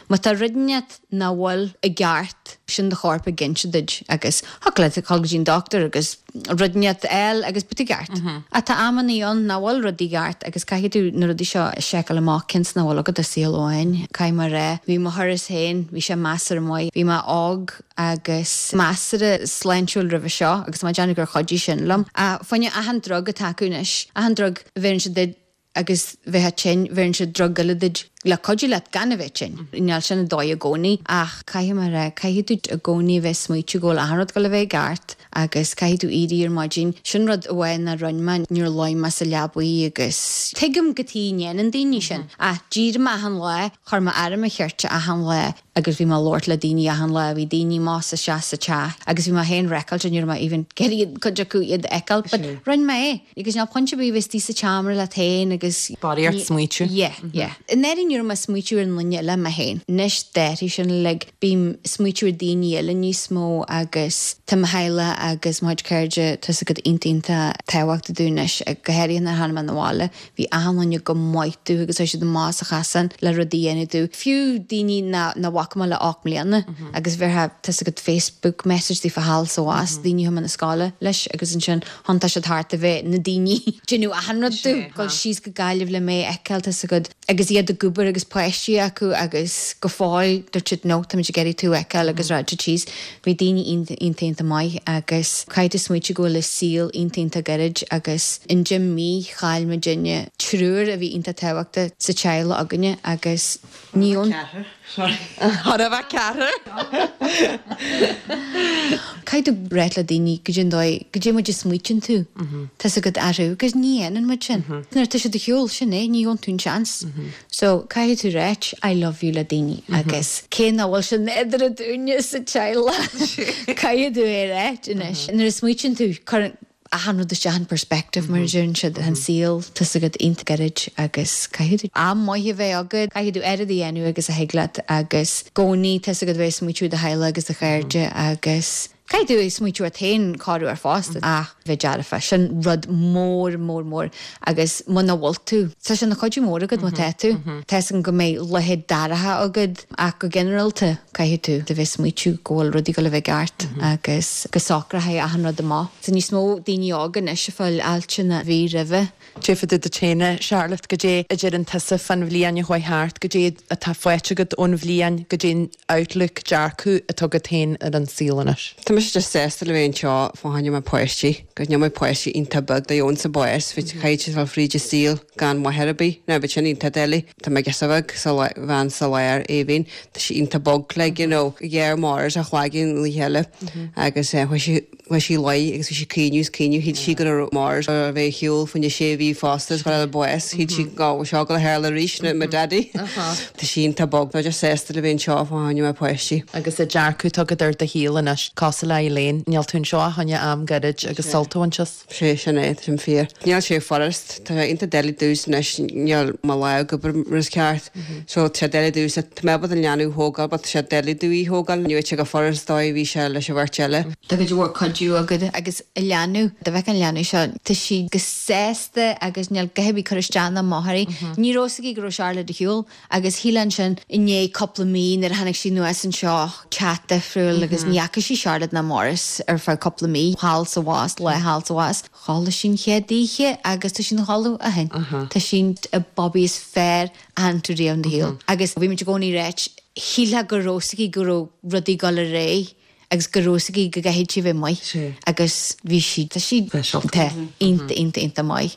Má tá rud inteacht nach bhfuil i gceart sin do chorp ag inse duit agus thig leat dul go dtí an doctor agus rud inteacht eile agus beidh tú ceart. Ach tá amannaí ann nach bhfuil rudaí ceart agus caithfidh tú na rudaí seo a sheiceáil amach cionn is nach bhfuil agat ach saol amháin. Caithfidh mé a rá bhí mo thuras féin bhí sé measartha maith bhí mé óg agus measartha sláintiúil roimhe seo agus má déanamh gur chuidigh sin liom. Ach fá choinne achan drug atá acu anois achan drug a bheireann siad duit agus bheith tinn bheireann siad drug eile duit le cuidiú leat gan a bheith tinn. Níl sin an dóigh i gcónaí ach caithfidh mé a rá caithfidh tú i gcónaí a bheith smaoitiú go bhfuil achan rud ag dul a bheith i gceart agus caithfidh tú éirí ar maidin. Sin rud amháin a rinne mé níor luigh mé sa leabaidh agus tuigim cad chuige a ndéanann daoine sin ach d'éirigh mé achan lá chuir mé aire mo cheirte achan lá agus bhí mé ag labhairt le daoine achan lá bhí daoine más isteach sa teach agus bhí mé féin wrecked ní raibh mé even ag iarraidh cuid acu iad a fheiceáil but rinne mé é agus níl pointe ar bith bheith istigh sa tseomra leat féin agus Body ort smaoitiú. Yeah, yeah. I ndáiríre ní raibh mé ag smaoitiú ar an duine eile mé féin. Anois d'athraigh sin like bím smaoitiú ar daoine eile níos mó agus tá mo theaghlach agus mo chuid cairde tá siad iontach iontach tábhachtach domh anois go háirithe nuair a tháinig mé 'na bhaile bhí achan duine go maith domh agus tá siad amach sa chasán le rudaí a dhéanamh domh. Fiú daoine na na bhfaca mé le ocht mbliana agus bheirfeá tá agat Facebook message daofa thall is abhus daoine a chuaigh mé na scoile leis agus ansin thiontaigh siad thart a bheith na daoine déanamh achan rud domh dul síos go Gaillimh le mé a fheiceáil tá agat agus iad ag obair agus páistí acu agus go fóill dúirt siad no táimid ag iarraidh tú a fheiceáil agus rá síos bhí daoine iontach iontach maith agus caithfidh tú smaoitiú go bhfuil an saol iontach iontach gairid agus in deich mí chaill muidinne triúr a bhí iontach tábhachtach sa teaghlach againne agus ní ón Thar a bheith ceathair. Caithfidh tú ráit le daoine goidé an dóigh goidé muid a smaoitíonn tú Tá agat orthu agus ní dhéanann muid sin. Nuair tá siad ar shiúl sin é ní gheobhann tú an seans. So caithfidh tú ráit I love you le daoine agus cé nach bhfuil sin idir dúinne sa teaghlach caithfidh tú é ráit anois. Nuair a smaoitíonn tú cuireann achan rud isteach in perspective mar a deireann siad an saol tá agat iontach gairid agus caithfidh tú am maith a bheith agat, caithfidh tú oiread a dhéanamh agus a thig leat agus i gcónaí tá agat bheith smaoitiú do theaghlach agus do chairde agus Caithfidh tú smaoitiú ort féin corruair fosta ach bheith dearfa, sin rud mór mór mór agus muna bhfuil tú, tá sé ina chuidiú mór agat má tá tú. Tá 'fhios agam go mbeidh laethe dorcha agat ach go ginearálta caithfidh tú a bheith smaoitiú go bhfuil rudaí ag dul a bheith ceart agus go socróidh achan rud amach. Tá níos mó daoine óga anois ag fáil ailse ná bhí roimhe. Cad é fá dtaobh duit féin, a Charlotte, goidé a deireann tusa fán bhliain a chuaigh thart, goidé atá faighte agat ón bhliain, goidé an outlook, dearcadh atá agat féin ar an saol anois? Tá mise just sásta le bheith anseo fá choinne mo pháistí, 'cause níl mo pháistí iontach beag do dheon sa bpáis, bhí caithfidh siad dul fríd an saol gan máthair ar bith, now bheadh sin iontach doiligh. Tá mo ghirseach bheag sa bhean sa lár, Aoibhinn, tá sí iontach bog like, you know, ghearr Maurice a chloigeann an oíche eile agus chuaigh sí Chuaigh sí a luí agus bhí sí ag caoineadh is caoineadh. Shíl sí go raibh Maurice a bheith ar shiúl fá choinne sé mhí fosta is go raibh bás. Shíl sí go bhfuil seo ag dul a tharlú arís nó mo daddy. Tá sí iontach bog. Tá just sásta le bheith anseo fá choinne mo pháistí. Agus an dearcadh atá agat ar do shaol anois, cosúil le Elaine, níl tú anseo ach fá choinne am gairid agus sult a bhaint as. Sé sin é, tá sin fíor. Níl sé furast, tá sé iontach doiligh domhsa anois, níl mo lámh ag obair mar is ceart. So tá sé doiligh domhsa, tá mé ábalta an leanbh a thógáil but tá sé doiligh domh í a thógáil. Ní raibh sé chomh furast dóigh a bhí sé leis an bheirt eile. Tá cuid mhór cuidiú agat agus an leanbh, dá bhfeicfeá an leanbh seo, tá sí go sásta agus níl a dhath ar bith ag cur isteach ná amach uirthi. Ní raibh 'fhios aici go raibh Charlotte ar shiúl agus shílfeá ansin i ndiaidh cúpla mí nuair a tháinig sí anuas anseo, teach difriúil agus ní fhaca sí Charlotte ná Maurice ar feadh cúpla mí, thall sa bhus, lá thall sa bhus. Chodlaigh sí an chéad oíche agus tá sí ina chodladh ó shin. Tá sí an babaí is fearr a chonaic tú riamh in do shaol. Agus bhí muid i gcónaí ag ráit, shílfeá go raibh 'fhios aici go raibh rudaí ag dul ar aghaidh agus go raibh 'fhios aici go gcaithfidh sí bheith maith agus bhí sí, tá sí, tá, iontach, iontach, iontach maith.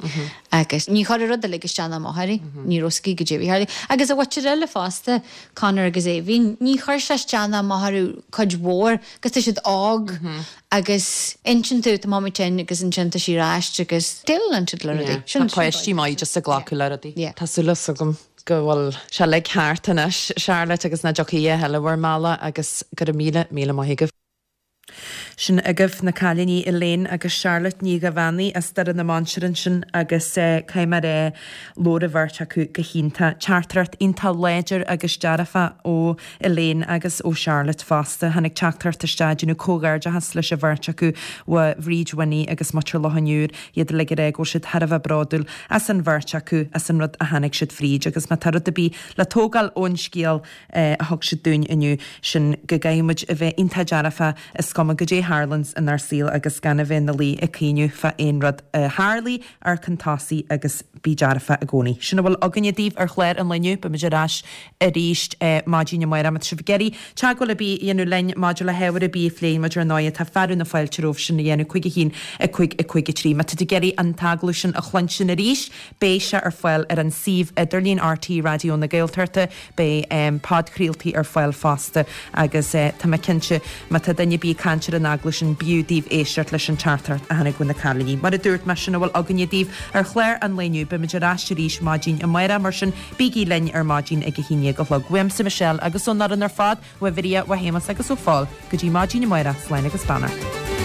Agus ní chuir an rud uilig isteach ná amach uirthi, ní raibh 'fhios aici goidé a bhí ag tarlú. Agus a mhuintir eile fosta, Conor agus Aoibhinn, ní chuir sé isteach ná amach orthu cuid mhór agus tá siad óg agus insíonn tú tá mamaí tinn agus ansin tá sí ar ais agus déileálann siad le rudaí. Tá páistí maith just ag glacadh le rudaí. Tá súil agam go bhfuil sé uilig thart anois, Charlotte, agus nach dtiocfaidh a thuilleadh bhur mbealach agus go raibh míle, míle maith agaibh. Sin agaibh na cailíní Elaine agus Charlotte Ní Dhuibheannaigh as Doire na Mainsear ansin agus caithfidh mé a rá, labhair an bheirt acu go hiontach. Teachtaireacht iontach láidir agus dearfach ó Elaine agus ó Charlotte fosta. Tháinig teachtaireacht isteach ag déanamh comhghairdeachas leis an bheirt acu ó Bhríd Winnie agus muintir Loch an Iúir, iad uilig ag rá go bhfuil siad thar a bheith bródúil as an bheirt acu, as an rud a tháinig siad fríd agus má tá rud ar bith le tógáil ón scéal a thug siad dúinn inniu, sin go gcaithfidh muid a bheith iontach dearfach is cuma goidé a tharlaíonns inár saol agus gan a bheith ina luí ag caoineadh fá aon rud a tharlaigh, amharc chun tosaigh agus bí dearfach i gcónaí. Sin a bhfuil againne daoibh ar chlár an lae inniu. Beimid ar ais arís maidin amárach. Má tá sibh ag iarraidh teagmháil ar bith a dhéanamh linn maidir le hábhar ar bith a phléann muid ar ndóigh tá fearadh na fáilte romhaibh sin a dhéanamh cúig a haon a cúig a cúig a trí. Má tá tú ag iarraidh an t-agallamh sin a chluinstin arís beidh sé ar fáil ar an suíomh idirlín RTÉ Raidió na Gaeltachta. Beidh podchraoltaí ar fáil fosta agus tá mé cinnte má tá duine ar bith ag caint ar an agallamh sin b'fhiú daoibh éisteacht leis an teachtaireacht a tháinig ó na cailíní. Mar a dúirt mé, sin a bhfuil againne daoibh ar chlár an lae inniu. Beimid ar ais arís maidin amárach, mar sin bígí linn ar maidin ag a haon déag a chlog. Uaimse Michelle agus ón fhoireann ar fad, ó Mharia, ó Shéamus agus ó Phól, go dtí maidin amárach, slán agus beannacht.